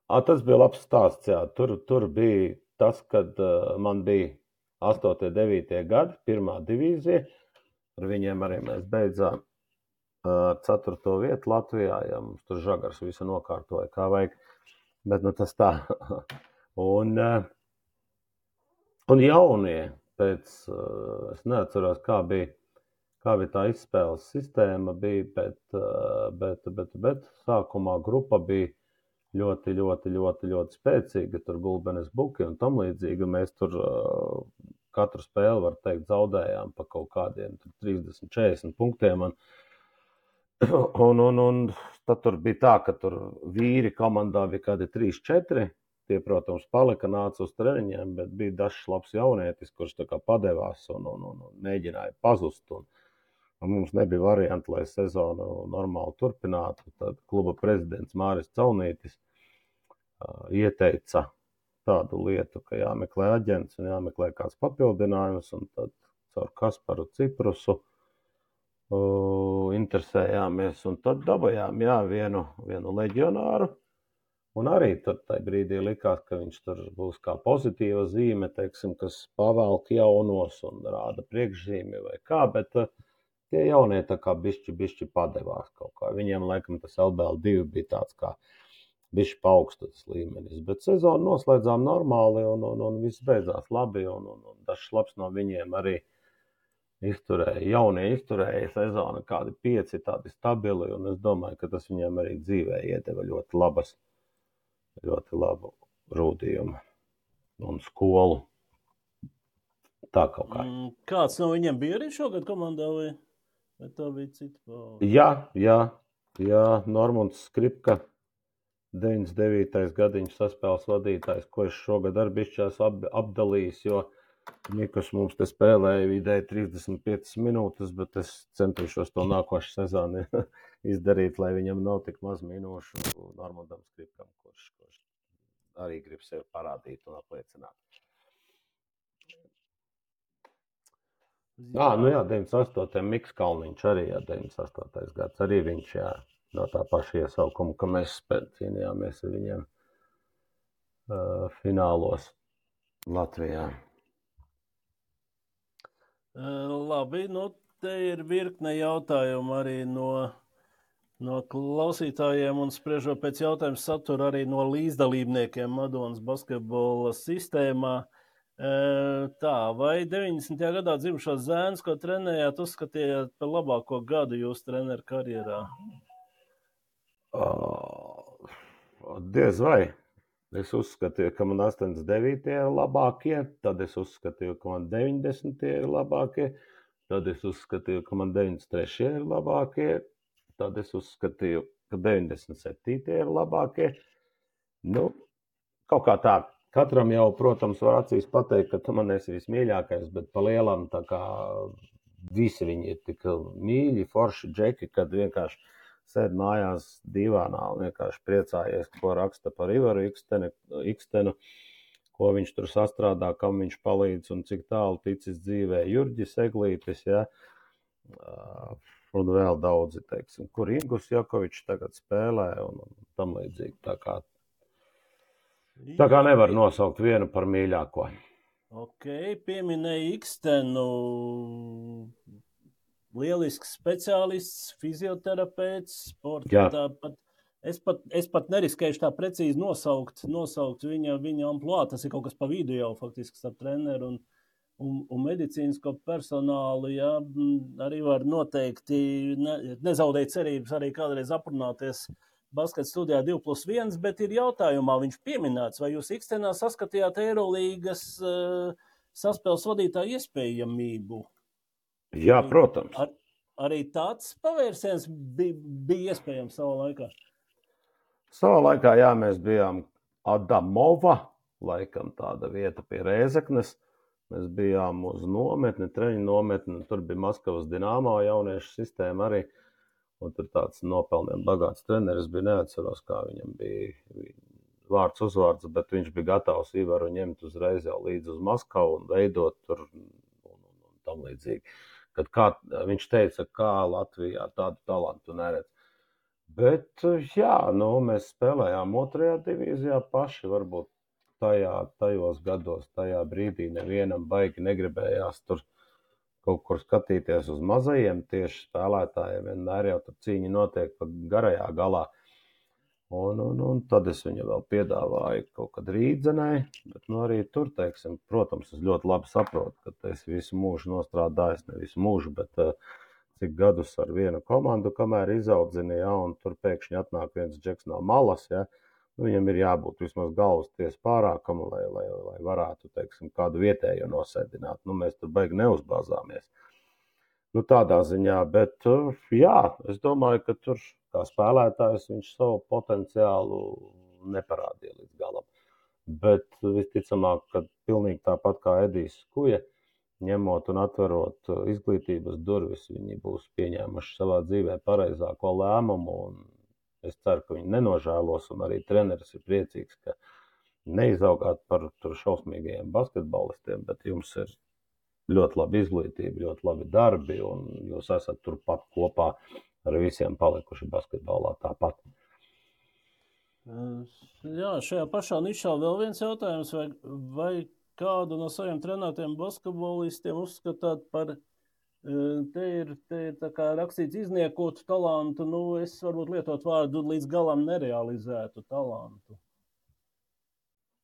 À, tas bija labs stāsts, jā. Tur, tur bija tas, kad uh, man bija astotie, devītie gadi, pirmā divīzija. Ar viņiem arī mēs beidzām ar uh, ceturto vietu Latvijā, ja mums tur Žagars visu nokārtoja, kā vajag. Bet, nu, tas tā. un, uh, un jaunie, pēc, uh, es neatceros, kā bija, kā bija tā izspēles sistēma, bija, bet, uh, bet, bet, bet sākumā grupa bija ļoti, ļoti, ļoti, ļoti spēcīga, tur Gulbenes Buki un tam līdzīgi. Mēs tur uh, katru spēli, var teikt, zaudējām pa kaut kādiem trīsdesmit, četrdesmit punktiem. Un, un, un, un tad tur bija tā, ka tur vīri komandā bija kādi trīs, četri. Tie, protams, palika, nāca uz treniņiem, bet bija dažs labs jaunietis, kurš tā kā padevās un, un, un, un mēģināja pazust. Un, un mums nebija varianti, lai sezonu normāli turpinātu. Tad kluba prezidents Māris Caunītis uh, ieteica tādu lietu, ka jāmeklē aģents un jāmeklē kāds papildinājums. Un tad caur Kasparu Ciprusu uh, interesējāmies un tad dabajām jā, vienu, vienu leģionāru. Un arī tur tajā brīdī likās, ka viņš tur būs kā pozitīva zīme, teiksim, kas pavelk jaunos un rāda priekšzīmi vai kā, bet uh, tie jaunie tā kā bišķi, bišķi padevās kaut kā. Viņiem, laikam, tas L B L divi bija tāds kā bišķi paaugstotas līmenis, bet sezonu noslēdzām normāli un, un, un viss beidzās labi, un, un, un dažs labs no viņiem arī izturēja, jaunie izturēja sezonu, kādi pieci tādi stabili, un es domāju, ka tas viņiem arī dzīvē iedeva ļoti labas, ļoti labu rūdījumu un skolu. Tā kaut kā. Mm, kāds no viņiem bija arī šogad komandā, vai, vai tā bija cita paudze? Jā, jā, jā, Normunds Skripka, deviņdesmit devītais gadiņš saspēles vadītājs, ko es šogad arī bišķās ap, apdalījis, jo Mikus mums te spēlēja vidēji trīsdesmit piecas minūtes, bet es centīšos to nākošu sezonu izdarīt, lai viņam nav tik maz minūšu Normundam Skripkam, kurš, kurš arī grib sevi parādīt un apliecināt. Jā, nu jā, deviņdesmit astotais Miks Kalniņš arī, jā, deviņdesmit astotais gads, arī viņš, jā, no tā paša iesaukuma, ka mēs cīnījāmies ar viņiem uh, finālos Latvijā. Uh, labi, nu te ir virkne jautājumu arī no, no klausītājiem un spriežot pēc jautājumu satura arī no līdzdalībniekiem Madonas basketbola sistēmā. Tā, vai deviņdesmitajā gadā dzimušos zēnus, ko trenējāt, uzskatījāt par labāko gadu jūsu treneru karjerā? Uh, diez vai. Es uzskatīju, ka man astoņdesmit devītie ir labākie, tad es uzskatīju, ka man deviņdesmitie ir labākie, tad es uzskatīju, ka man deviņdesmit trešie ir labākie, tad es uzskatīju, ka deviņdesmit septītie ir labākie. Nu, kaut kā tā. Katram jau, protams, var acīs pateikt, ka tu man esi vismīļākais, bet pa lielam tā kā visi viņi ir tik mīļi, forši džeki, kad vienkārši sēd mājās divānā un vienkārši priecājies, ko raksta par Ivaru Ikstenu, Ikstenu, ko viņš tur sastrādā, kam viņš palīdz un cik tālu ticis dzīvē. Jurģis Eglītis, ja, un vēl daudzi, teiksim, kur Ingus Jakovičs tagad spēlē un, un tam līdzīgi tā kā. Tā kā nevar nosaukt vienu par mīļāko. Ok, pieminēja Ikstenu, lielisks speciālists, fizioterapeits, sporta. Tāpat, es, pat, es pat neriskējuši tā precīzi nosaukt, nosaukt viņa, viņa amplua. Tas ir kaut kas pa vidu jau faktiski starp treneru un, un, un medicīnisko personālu. Jā, arī var noteikti ne, nezaudēt cerības arī kādreiz aprunāties Basketa studijā divi plus viens, bet ir jautājumā viņš pieminēts, vai jūs ikstenā saskatījāt Eirolīgas uh, saspēles vadītāju iespējamību? Jā, protams. Ar, arī tāds pavērsiens bija, bija iespējams savā laikā? Savā laikā, jā, mēs bijām Adamova, laikam tāda vieta pie Rēzeknes. Mēs bijām uz nometni, treņu nometni, tur bija Maskavas Dinamo jauniešu sistēma arī. Un tur tāds nopelniem bagāts treneris bija, neatceros, kā viņam bija vārds uzvārds, bet viņš bija gatavs Ivaru ņemt uzreiz jau līdz uz Maskavu un veidot tur un, un, un tam līdzīgi. Kad kā, viņš teica, kā Latvijā tādu talantu neredz. Bet, jā, nu, mēs spēlējām otrajā divīzijā paši, varbūt tajā, tajos gados, tajā brīdī nevienam baigi negribējās tur kaut kur skatīties uz mazajiem, tieši spēlētājiem vienmēr jau tur cīņa notiek pa garajā galā. Un, un, un tad es viņu vēl piedāvāju kaut kad Rīdzenai, bet nu arī tur, teiksim, protams, es ļoti labi saprotu, ka es visu mūžu nostrādājos, ne visu mūžu, bet uh, cik gadus ar vienu komandu, kamēr izaudzini, ja, un tur pēkšņi atnāk viens džeks no malas, ja, nu, viņam ir jābūt vismaz galvas tiesa pārākam, lai, lai, lai varētu, teiksim, kādu vietējo nosēdināt. Nu, mēs tur baigi neuzbāzāmies. Nu, tādā ziņā, bet, jā, es domāju, ka tur kā spēlētājs viņš savu potenciālu neparādīja līdz galam. Bet visticamāk, ka pilnīgi tāpat kā Edijs Skuja, ņemot un atverot izglītības durvis, viņi būs pieņēmuši savā dzīvē pareizāko lēmumu, un es ceru, ka viņi nenožēlos, un arī treneris ir priecīgs, ka neizaugāt par tur šausmīgajiem basketbolistiem, bet jums ir ļoti labi izglītība, ļoti labi darbi, un jūs esat turpat kopā ar visiem palikuši basketbolā tāpat. Jā, šajā pašā nišā vēl viens jautājums, vai, vai kādu no saviem trenētiem basketbolistiem uzskatāt par Te ir, te ir tā kā rakstīts izniekotu talantu, nu es varbūt lietot vārdu līdz galam nerealizētu talantu.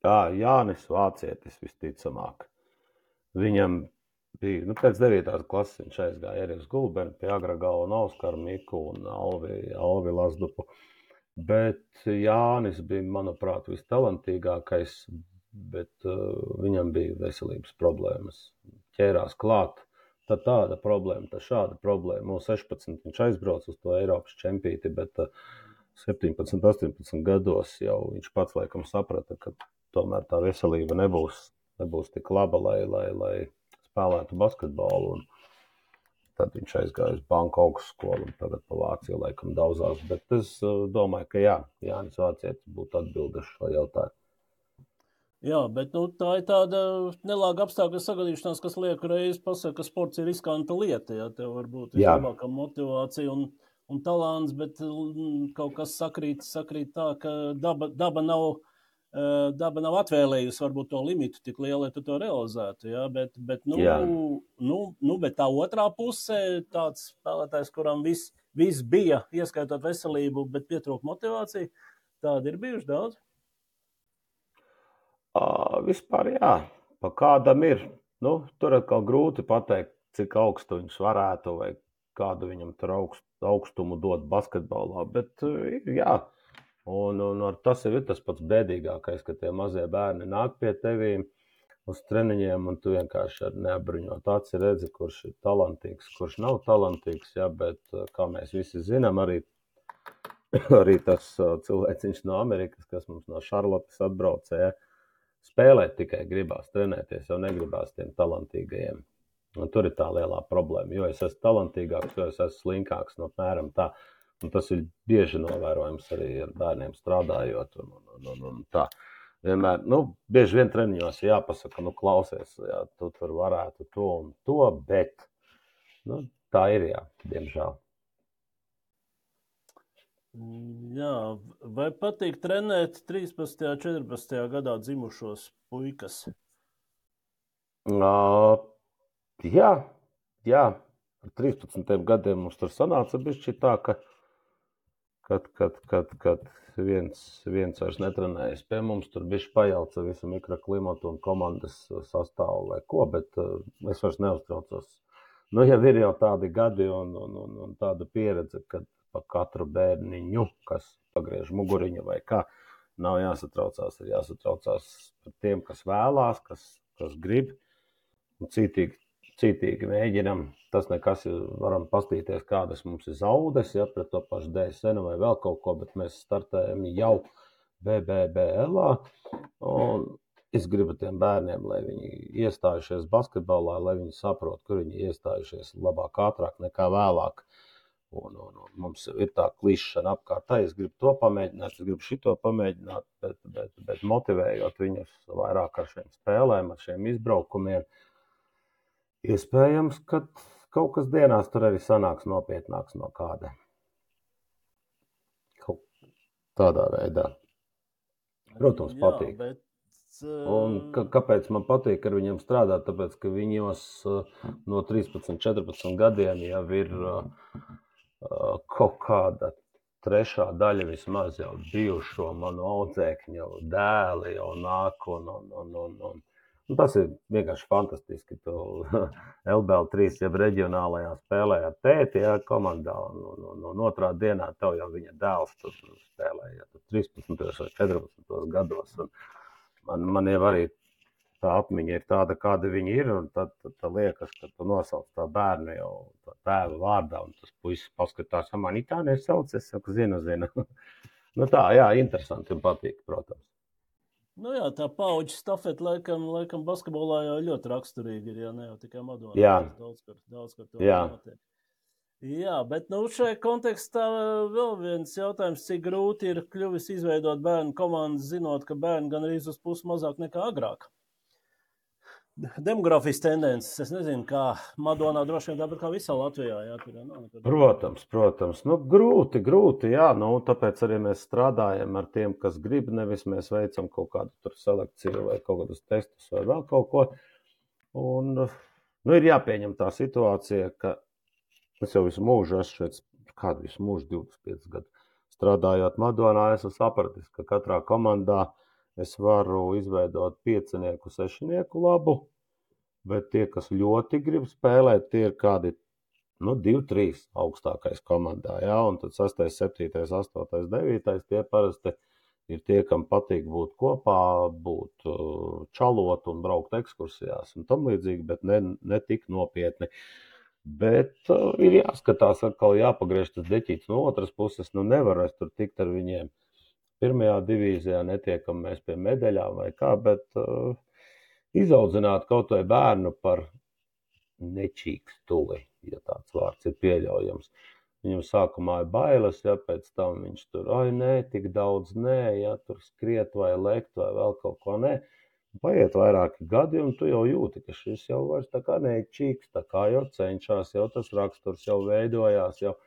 Tā, Jānis Vācietis visticamāk. Viņam bija, nu pēc devītās klases viņš aizgāja arī uz Gulbeni pie Agragala un Auskaru Miku un Alvi, Alvi Lazdupu. Bet Jānis bija, manuprāt, vistalantīgākais, bet uh, viņam bija veselības problēmas. Ķērās klāt. Tā tāda problēma, tā šāda problēma. No sešpadsmit viņš aizbrauc uz to Eiropas čempīti, bet septiņpadsmit, astoņpadsmit gados jau viņš pats laikam saprata, ka tomēr tā veselība nebūs, nebūs tik laba, lai, lai, lai spēlētu basketbolu. Un tad viņš aizgāja uz Banku augstskolu un tagad pa Vāciju laikam daudzās. Bet es domāju, ka jā, Jānis Vācietis būtu atbildēs šo jautājumu. Jā, bet nu, tā ir tāda nelāga apstākļa sagadīšanās, kas liek reiz pasaka, ka sports ir riskanta lieta. Jā, tev var būt vislabākā motivācija un, un talants, bet kaut kas sakrīt, sakrīt tā, ka daba, daba, nav, daba nav atvēlējusi varbūt to limitu tik lielu, lai tu to realizētu. Jā, bet, bet, nu, nu, nu, bet tā otrā pusē tāds spēlētājs, kuram viss vis bija, ieskaitot veselību, bet pietrūk motivācija, tādi ir bijuši daudz. Uh, vispār jā, pa kādam ir. Nu, tur atkal grūti pateikt, cik augstu viņš varētu vai kādu viņam tur augst, augstumu dot basketbolā, bet jā. Un, un ar tas ir tas pats bēdīgākais, ka tie mazie bērni nāk pie tevīm uz treniņiem un tu vienkārši ar neapbruņot aci redzi, kurš ir talantīgs, kurš nav talantīgs, jā, bet kā mēs visi zinām, arī, arī tas cilvēciņš no Amerikas, kas mums no Šarlotes atbraucē, jā, spēlēt tikai gribās, trenēties jau negribās tiem talantīgajiem. Un tur ir tā lielā problēma, jo es esmu talantīgāks, jo es esmu slinkāks, no apmēram tā. Un tas ir bieži novērojams arī ar bērniem strādājot un, un, un, un tā. Vienmēr, nu, bieži vien treniņos jāpasaka, nu, klausies, jā, tu tur varētu to un to, bet, nu, tā ir, jā, diemžēl. Jā, vai patīk trenēt trīspadsmitajā, četrpadsmitajā gadā dzimušos puikas? Uh, jā, jā, ar trīspadsmitiem gadiem mums tur sanāca bišķi tā, ka kad, kad, kad, kad viens, viens vairs netrenējas pie mums, tur bišķi pajauca visu mikroklimatu un komandas sastāvu vai ko, bet uh, es vairs neuztraucos. Nu, jau ir jau tādi gadi un, un, un, un tāda pieredze, kad pa katru bērniņu, kas pagriež muguriņu vai kā. Nav jāsatraucās, ir jāsatraucās par tiem, kas vēlās, kas, kas grib. Un cītīgi, cītīgi mēģinam. Tas nekas, varam pastīties, kādas mums ir zaudes, ja, pret to pašu D S N vai vēl kaut ko, bet mēs startējam jau B B B L-ā. Un es gribu tiem bērniem, lai viņi iestājušies basketbolā, lai viņi saprot, kur viņi iestājušies labāk, ātrāk nekā vēlāk. Un, un, un mums ir tā klišana apkārt, tā es gribu to pamēģināt, es gribu šito pamēģināt, bet, bet, bet motivējot viņus vairāk ar šiem spēlēm, ar šiem izbraukumiem, iespējams, ka kaut kas dienās tur arī sanāks nopietnāks no kāda. Kaut tādā veidā. Protams, Jā, patīk. Bet, uh... Un ka, kāpēc man patīk ar viņiem strādāt? Tāpēc, ka viņos uh, no trīspadsmit, četrpadsmit gadiem jau ir uh, uh, kaut kāda trešā daļa vismaz jau bijušo manu audzēkņu, jau dēli jau nāk un, un, un, un, un. Un tas ir vienkārši fantastiski. Tu L B L trīs jau reģionālajā spēlē ar tēti, jā, komandā, un, un, un, un otrā dienā tev jau viņa dēls tur spēlē, ja tu trīspadsmitos vai četrpadsmitos gados. Un man, man jau arī tā atmiņa ir tāda, kāda viņa ir, un tad, tad, tad liekas, ka tu nosauc tā bērnu jau tā tēva vārdā, un tas puisis paskatās, man it tā nesauc, es saku, zinu, zinu. Nu tā, jā, interesanti un patīk, protams. Nu jā, tā paudžu stafeta laikam, laikam basketbolā jau ļoti raksturīgi ir, ja ne jau tikai Madonā. Jā. Daudz, kur, daudz, kur to Jā. notiek. Jā, bet nu šajā kontekstā vēl viens jautājums, cik grūti ir kļuvis izveidot bērnu komandas, zinot, ka bērni gan arī uz pusi mazāk nekā agrāk. Demografijas tendences, es nezinu, kā Madonā droši vien tāpat kā visā Latvijā. Jā, tur jau nav nekad. Protams, protams. Nu, grūti, grūti, jā. Nu, tāpēc arī mēs strādājam ar tiem, kas grib, nevis mēs veicam kaut kādu tur selekciju vai kaut kādus testus vai vēl kaut ko. Un, nu, ir jāpieņem tā situācija, ka es jau visu mūžu esmu šeit, kādu visu mūžu, divdesmit piecus gadu strādājot Madonā, esmu sapratis, ka katrā komandā es varu izveidot piecinieku, sešinieku labu, bet tie, kas ļoti grib spēlēt, tie ir kādi, nu, divi, trīs augstākais komandā, jā, un tad sastais, septītais, astotais, devītais, tie parasti ir tie, kam patīk būt kopā, būt čalot un braukt ekskursijās un tam līdzīgi, bet ne, ne tik nopietni. Bet uh, ir jāskatās, atkal jāpagriež tas deķīts no otras puses, nu nevar es tur tikt ar viņiem. Pirmajā divīzijā netiekam mēs pie medaļām vai kā, bet uh, izaudzināt kaut vai bērnu par nečīkstuli, ja tāds vārds ir pieļaujams. Viņam sākumā ir bailes, ja pēc tam viņš tur, ai nē, tik daudz nē, ja tur skriet vai lekt vai vēl kaut ko nē. Paiet vairāki gadi un tu jau jūti, ka šis jau vairs tā kā nečīks, tā kā jau cenšās, jau tas raksturs jau veidojās, jau.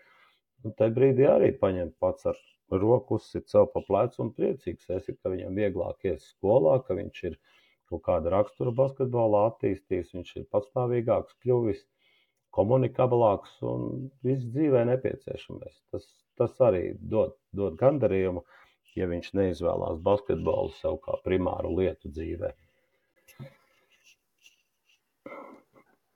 Un tai brīdī arī paņem pats ar roku uzsit sev pa plecu un priecīgs esi, ka viņam vieglāk ies skolā, ka viņš ir kaut kāda rakstura basketbolā attīstījis, viņš ir patstāvīgāks kļuvis, komunikablāks un viss dzīvē nepieciešamais. Tas, tas arī dod, dod gandarījumu, ja viņš neizvēlās basketbolu sev kā primāru lietu dzīvē.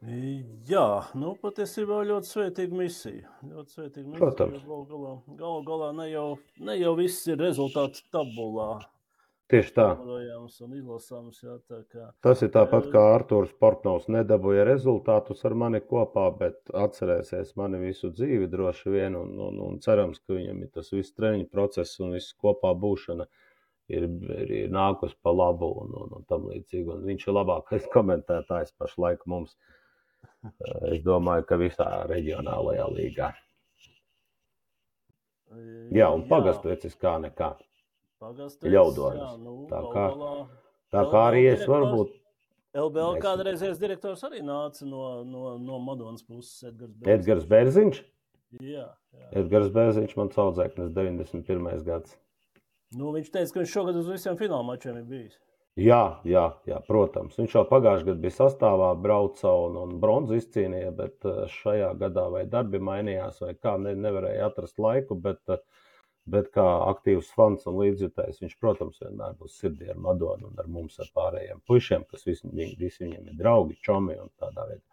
Jā, nu patiesībā ļoti svētīga misija. Ļoti svētīga misija. Protams. Galu galā, galu galā ne jau, ne jau viss ir rezultāts tabulā. Tieši tā. Un izlasāms, jā, tā kā. Tas ir tāpat kā Artūrs Portnovs nedabūja rezultātus ar mani kopā, bet atcerēsies mani visu dzīvi droši vien un, un, un cerams, ka viņam ir tas viss treniņu process un viss kopā būšana ir, ir, ir nākus pa labu un, un, un tam līdzīgi. Un viņš ir labākais komentētājs pašlaik mums. Es domāju, ka visā reģionālajā līgā. Jā, un pagastvecis kā nekā. Pagastvecis, Ļaudonis. Jā, nu, tā kā, galā, tā kā arī es varbūt. L B L kādreizējais direktors arī nāca no, no, no Madonas puses, Edgars Bērziņš. Edgars Bērziņš? Jā, jā. Edgars Bērziņš man saudzēknis deviņdesmit pirmais gads. Nu, viņš teica, ka viņš šogad uz visiem fināla mačiem ir bijis. Jā, jā, jā, protams. Viņš jau pagājušajā gadā bija sastāvā, brauca un, un bronzu izcīnīja, bet šajā gadā vai darbi mainījās vai kā, ne, nevarēja atrast laiku, bet, bet kā aktīvs fans un līdzjutējs, viņš, protams, vienmēr būs sirdī ar Madonu un ar mums, ar pārējiem puišiem, kas visi, visi viņiem ir draugi, čomi un tādā veidā.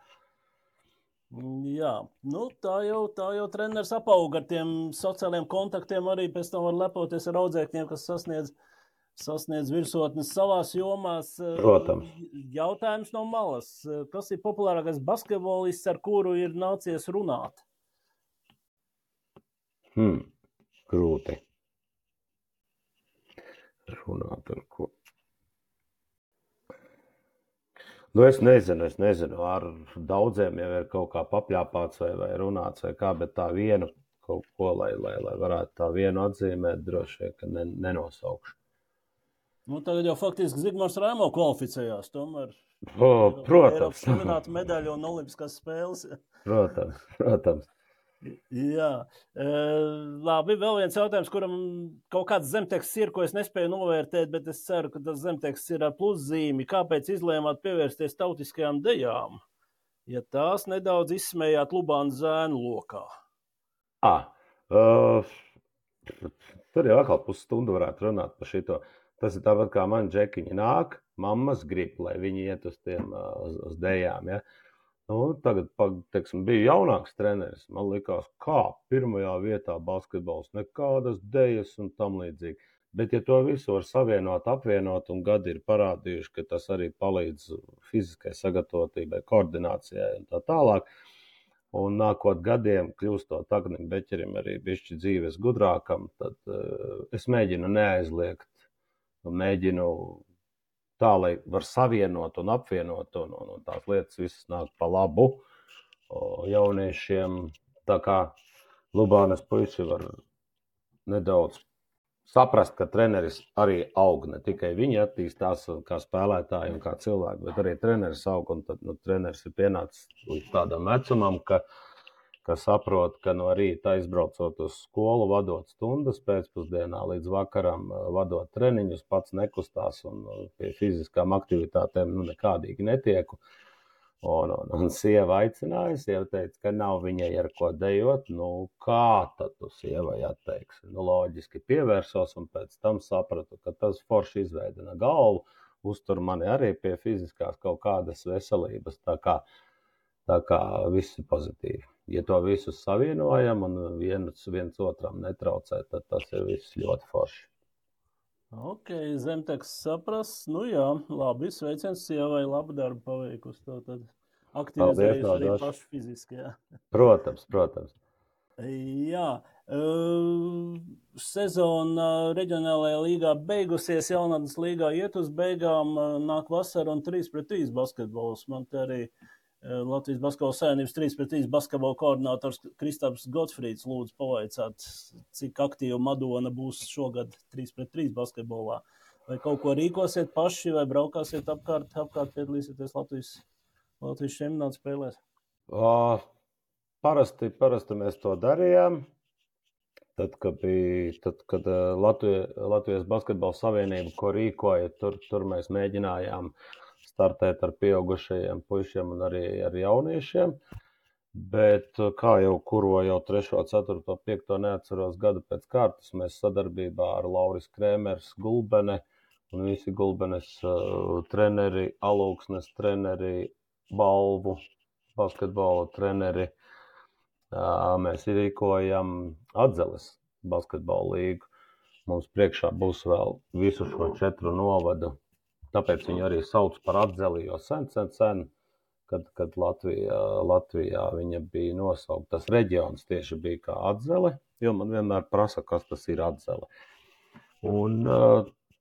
Jā, nu tā jau, tā jau treneris apauga ar tiem sociāliem kontaktiem, arī pēc tam var lepoties ar audzēkņiem, kas sasniedz, sasniedz virsotnes savās jomās. Protams. Jautājums no malas. Kas ir populārākais basketbolists, ar kuru ir nācies runāt? Hmm, grūti. Runāt ar ko? Nu, es nezinu, es nezinu, ar daudziem jau ir kaut kā papļāpāts vai, vai runāts vai kā, bet tā vienu kaut ko, lai, lai, lai varētu tā vienu atzīmēt, droši vien, ka ne, nenosaukšu. Nu, tagad jau faktiski Zigmārs Rēmo kvalificējās, tomēr. O, protams. Eiropas medaļu un olimpiskās spēles. Protams, protams. Jā, e, labi, vēl viens jautājums, kuram kaut kāds zemteksts ir, ko es nespēju novērtēt, bet es ceru, ka tas zemteksts ir ar pluszīmi. Kāpēc izlēmāt pievērsties tautiskajām dejām, ja tās nedaudz izsmējāt Lubānu zēnu lokā? Ah, uh, tur jau atkal pusstundu varētu runāt par šito. Tas ir tāpat kā man džekiņi nāk, mammas grib, lai viņi iet uz tiem uz, uz dejām, ja. Nu, tagad, teiksim, bija jaunāks treneris. Man likās, kā pirmajā vietā basketbols, nekādas dejas un tam līdzīgi. Bet, ja to visu var savienot, apvienot, un gadi ir parādījuši, ka tas arī palīdz fiziskai sagatavotībai, koordinācijai un tā tālāk, un nākot gadiem, kļūstot Agnim Beķerim arī bišķi dzīves gudrākam, tad uh, es mēģinu neaizliegt, mēģinu tā, lai var savienot un apvienot, un, un, un tās lietas visas nāk pa labu o, jauniešiem. Tā kā Lubānas puiši var nedaudz saprast, ka treneris arī aug, ne tikai viņi attīstās kā spēlētāji un kā cilvēki, bet arī treneris aug, un tad nu, treneris ir pienācis līdz tādam vecumam, ka ka saprot, ka no rīta aizbraucot uz skolu, vadot stundas pēcpusdienā līdz vakaram, vadot treniņus, pats nekustās un pie fiziskām aktivitātēm nu, nekādīgi netieku. Un, un, un sieva aicināja, sieva teica, ka nav viņai ar ko dejot. Nu, kā tad tu sievai atteiksi? Nu, loģiski pievērsos un pēc tam sapratu, ka tas forši izveidina galvu, uztur mani arī pie fiziskās kaut kādas veselības, tā kā, tā kā viss ir pozitīvi. Ja to visu savienojam un viens, viens otram netraucē, tad tas ir viss ļoti forši. Ok, zemteksts saprast. Nu jā, labi, sveiciens sievai, labu darbu paveikusi. To tad aktivizējusi arī pašu fiziski, jā. Protams, protams. Jā, uh, sezona reģionālajā līgā beigusies, jaunatnes līgā iet uz beigām, nāk vasara un trīs pret trīs basketbols. Man te arī Latvijas Basketbola savienības trīs pret trīs basketbola koordinators Kristaps Gotfrīds lūdzu pavaicāt, cik aktīva Madona būs šogad trīs pret trīs basketbolā. Vai kaut ko rīkosiet paši, vai braukāsiet apkārt, apkārt piedalīsieties Latvijas, Latvijas čempionāta spēlēs? O, parasti, parasti mēs to darījām. Tad, kad, bija, tad, kad Latvijas, Latvijas Basketbola savienība, ko rīkoja, tur, tur mēs mēģinājām startēt ar pieaugušajiem puišiem un arī ar jauniešiem, bet kā jau kuro jau trešo, ceturto, piekto neatceros gadu pēc kārtas, mēs sadarbībā ar Lauris Krēmers, Gulbene un visi Gulbenes uh, treneri, Alūksnes treneri, Balvu, basketbola treneri, uh, mēs rīkojam Atzeles basketbola līgu. Mums priekšā būs vēl visu šo četru novadu. Tāpēc viņu arī sauc par Atzeli, jo sen, sen, sen, kad, kad Latvijā, Latvijā viņa bija nosaukta, tas reģions tieši bija kā Atzele, jo man vienmēr prasa, kas tas ir Atzele. Un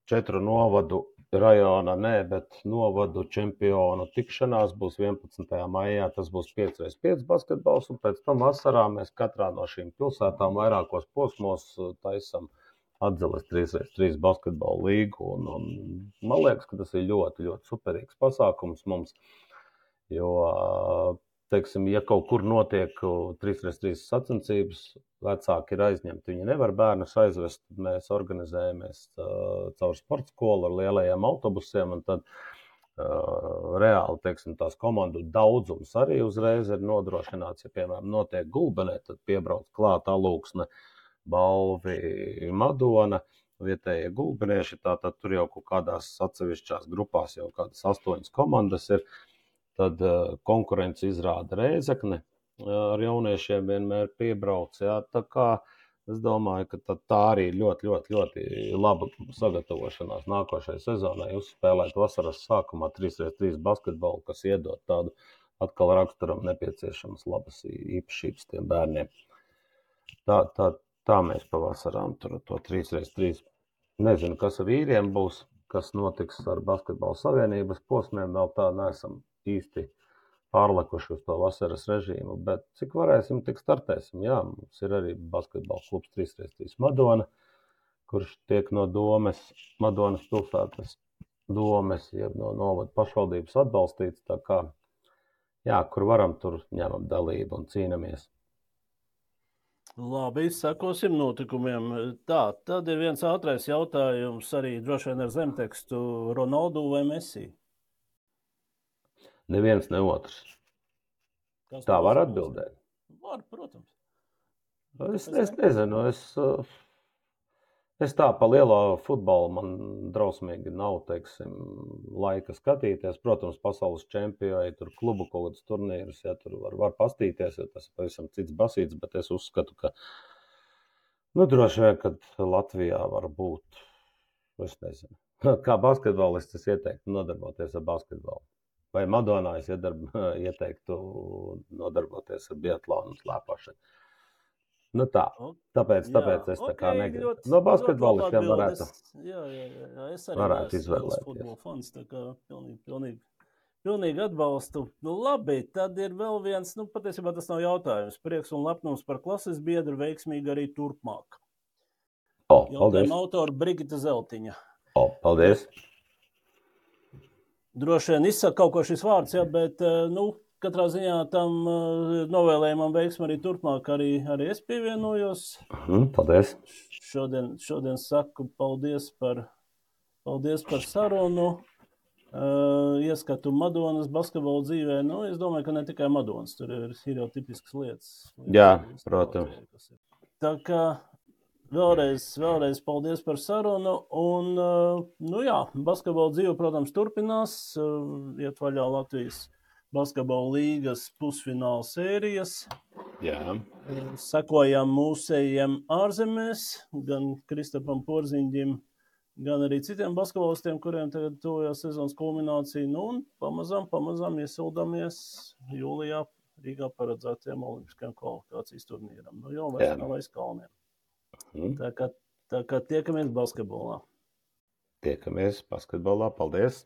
četru novadu rajona, nē, bet novadu čempionu tikšanās būs vienpadsmitajā maijā, tas būs pieci pret pieci basketbols, un pēc tam vasarā mēs katrā no šīm pilsētām vairākos posmos taisam Atzeles trīs pret trīs basketbola līgu, un, un man liekas, ka tas ir ļoti, ļoti superīgs pasākums mums, jo, teiksim, ja kaut kur notiek trīs pret trīs sacensības, vecāki ir aizņemti, viņi nevar bērnus aizvest, tad mēs organizējamies uh, caur sporta skolu ar lielajiem autobusiem, un tad uh, reāli, teiksim, tās komandu daudzums arī uzreiz ir nodrošināts, ja, piemēram, notiek Gulbenē, tad piebrauc klāt Alūksne, Balvi, Madona, vietējie gulbenieši, tātad tur jau kaut kādās atsevišķās grupās jau kādas astoņas komandas ir, tad uh, konkurence izrāda Rēzekne, ar jauniešiem vienmēr piebrauc. Jā. Tā kā es domāju, ka tā, tā arī ļoti, ļoti, ļoti laba sagatavošanās nākošajai sezonai. Uzspēlēt vasaras sākumā trīs pret trīs basketbolu, kas iedod tādu atkal raksturam nepieciešamas labas īpašības tiem bērniem. Tā, tā, tā mēs pavasarām tur to trīs pret trīs. Nezinu, kas ar vīriem būs, kas notiks ar basketbalu savienības posmiem, vēl tā neesam īsti pārlekuši uz to vasaras režīmu, bet cik varēsim, tik startēsim. Jā, mums ir arī basketbalu klubs trīs pret trīs Madona, kurš tiek no domes, Madonas pilsētas domes, jeb no novada pašvaldības atbalstīts, tā kā, jā, kur varam, tur ņemam dalību un cīnamies. Labi, sekosim notikumiem. Tā, tad ir viens ātrais jautājums arī droši vien ar zemtekstu Ronaldu vai Messi? Neviens, ne otrs. Kas Tā tev var uzbūs? atbildēt. Var, protams. Es, es nezinu, es, es tā pa lielo futbolu man drausmīgi nav, teiksim, laika skatīties. Protams, pasaules čempioni, tur klubu kaut kādus turnīrus, ja tur var, var pastīties, jo tas ir pavisam cits basīts, bet es uzskatu, ka, nu, droši vien, kad Latvijā var būt, es nezinu, kā basketbolists es ieteiktu nodarboties ar basketbolu. Vai Madonā es iedarb, ieteiktu nodarboties ar biatlonu un slēpošanu. Nu tā, tāpēc, tāpēc es tā kā okay, negribu. Ļoti, No basketbolistiem varētu. varētu, Jā, jā, jā, es arī varētu esmu liels izvēlēties. futbola fans, tā kā pilnīgi, pilnīgi, pilnīgi atbalstu. Nu labi, tad ir vēl viens, nu patiesībā tas nav jautājums. Prieks un lepnums par klases biedru veiksmīgi arī turpmāk. O, paldies. Jautājuma autora Brigita Zeltiņa. O, paldies. Droši vien izsaka kaut ko šis vārds, jā, bet, nu, katrā ziņā tam novēlējumam veiksmi arī turpmāk, arī, arī es pievienojos. Mm, paldies. Šodien, šodien saku paldies par, paldies par sarunu, uh, ieskatu Madonas basketbolu dzīvē. Nu, es domāju, ka ne tikai Madonas, tur ir, ir jau tipiskas lietas. Jā, protams. Tā kā vēlreiz, vēlreiz paldies par sarunu, un, uh, nu jā, basketbola dzīve, protams, turpinās, uh, iet vaļā Latvijas basketbola līgas pusfināla sērijas. Jā. Sekojam mūsējiem ārzemēs, gan Kristapam Porziņģim, gan arī citiem basketbolistiem, kuriem tagad tuvojās sezonas kulminācija. Nu, un pamazām, pamazām iesildamies jūlijā Rīgā paredzētajam olimpiskajam kvalifikācijas turnīram. Nu, jau vairs nav aiz kalniem. Mm. Tā kā, tā kā tiekamies basketbolā. Tiekamies basketbolā. Paldies!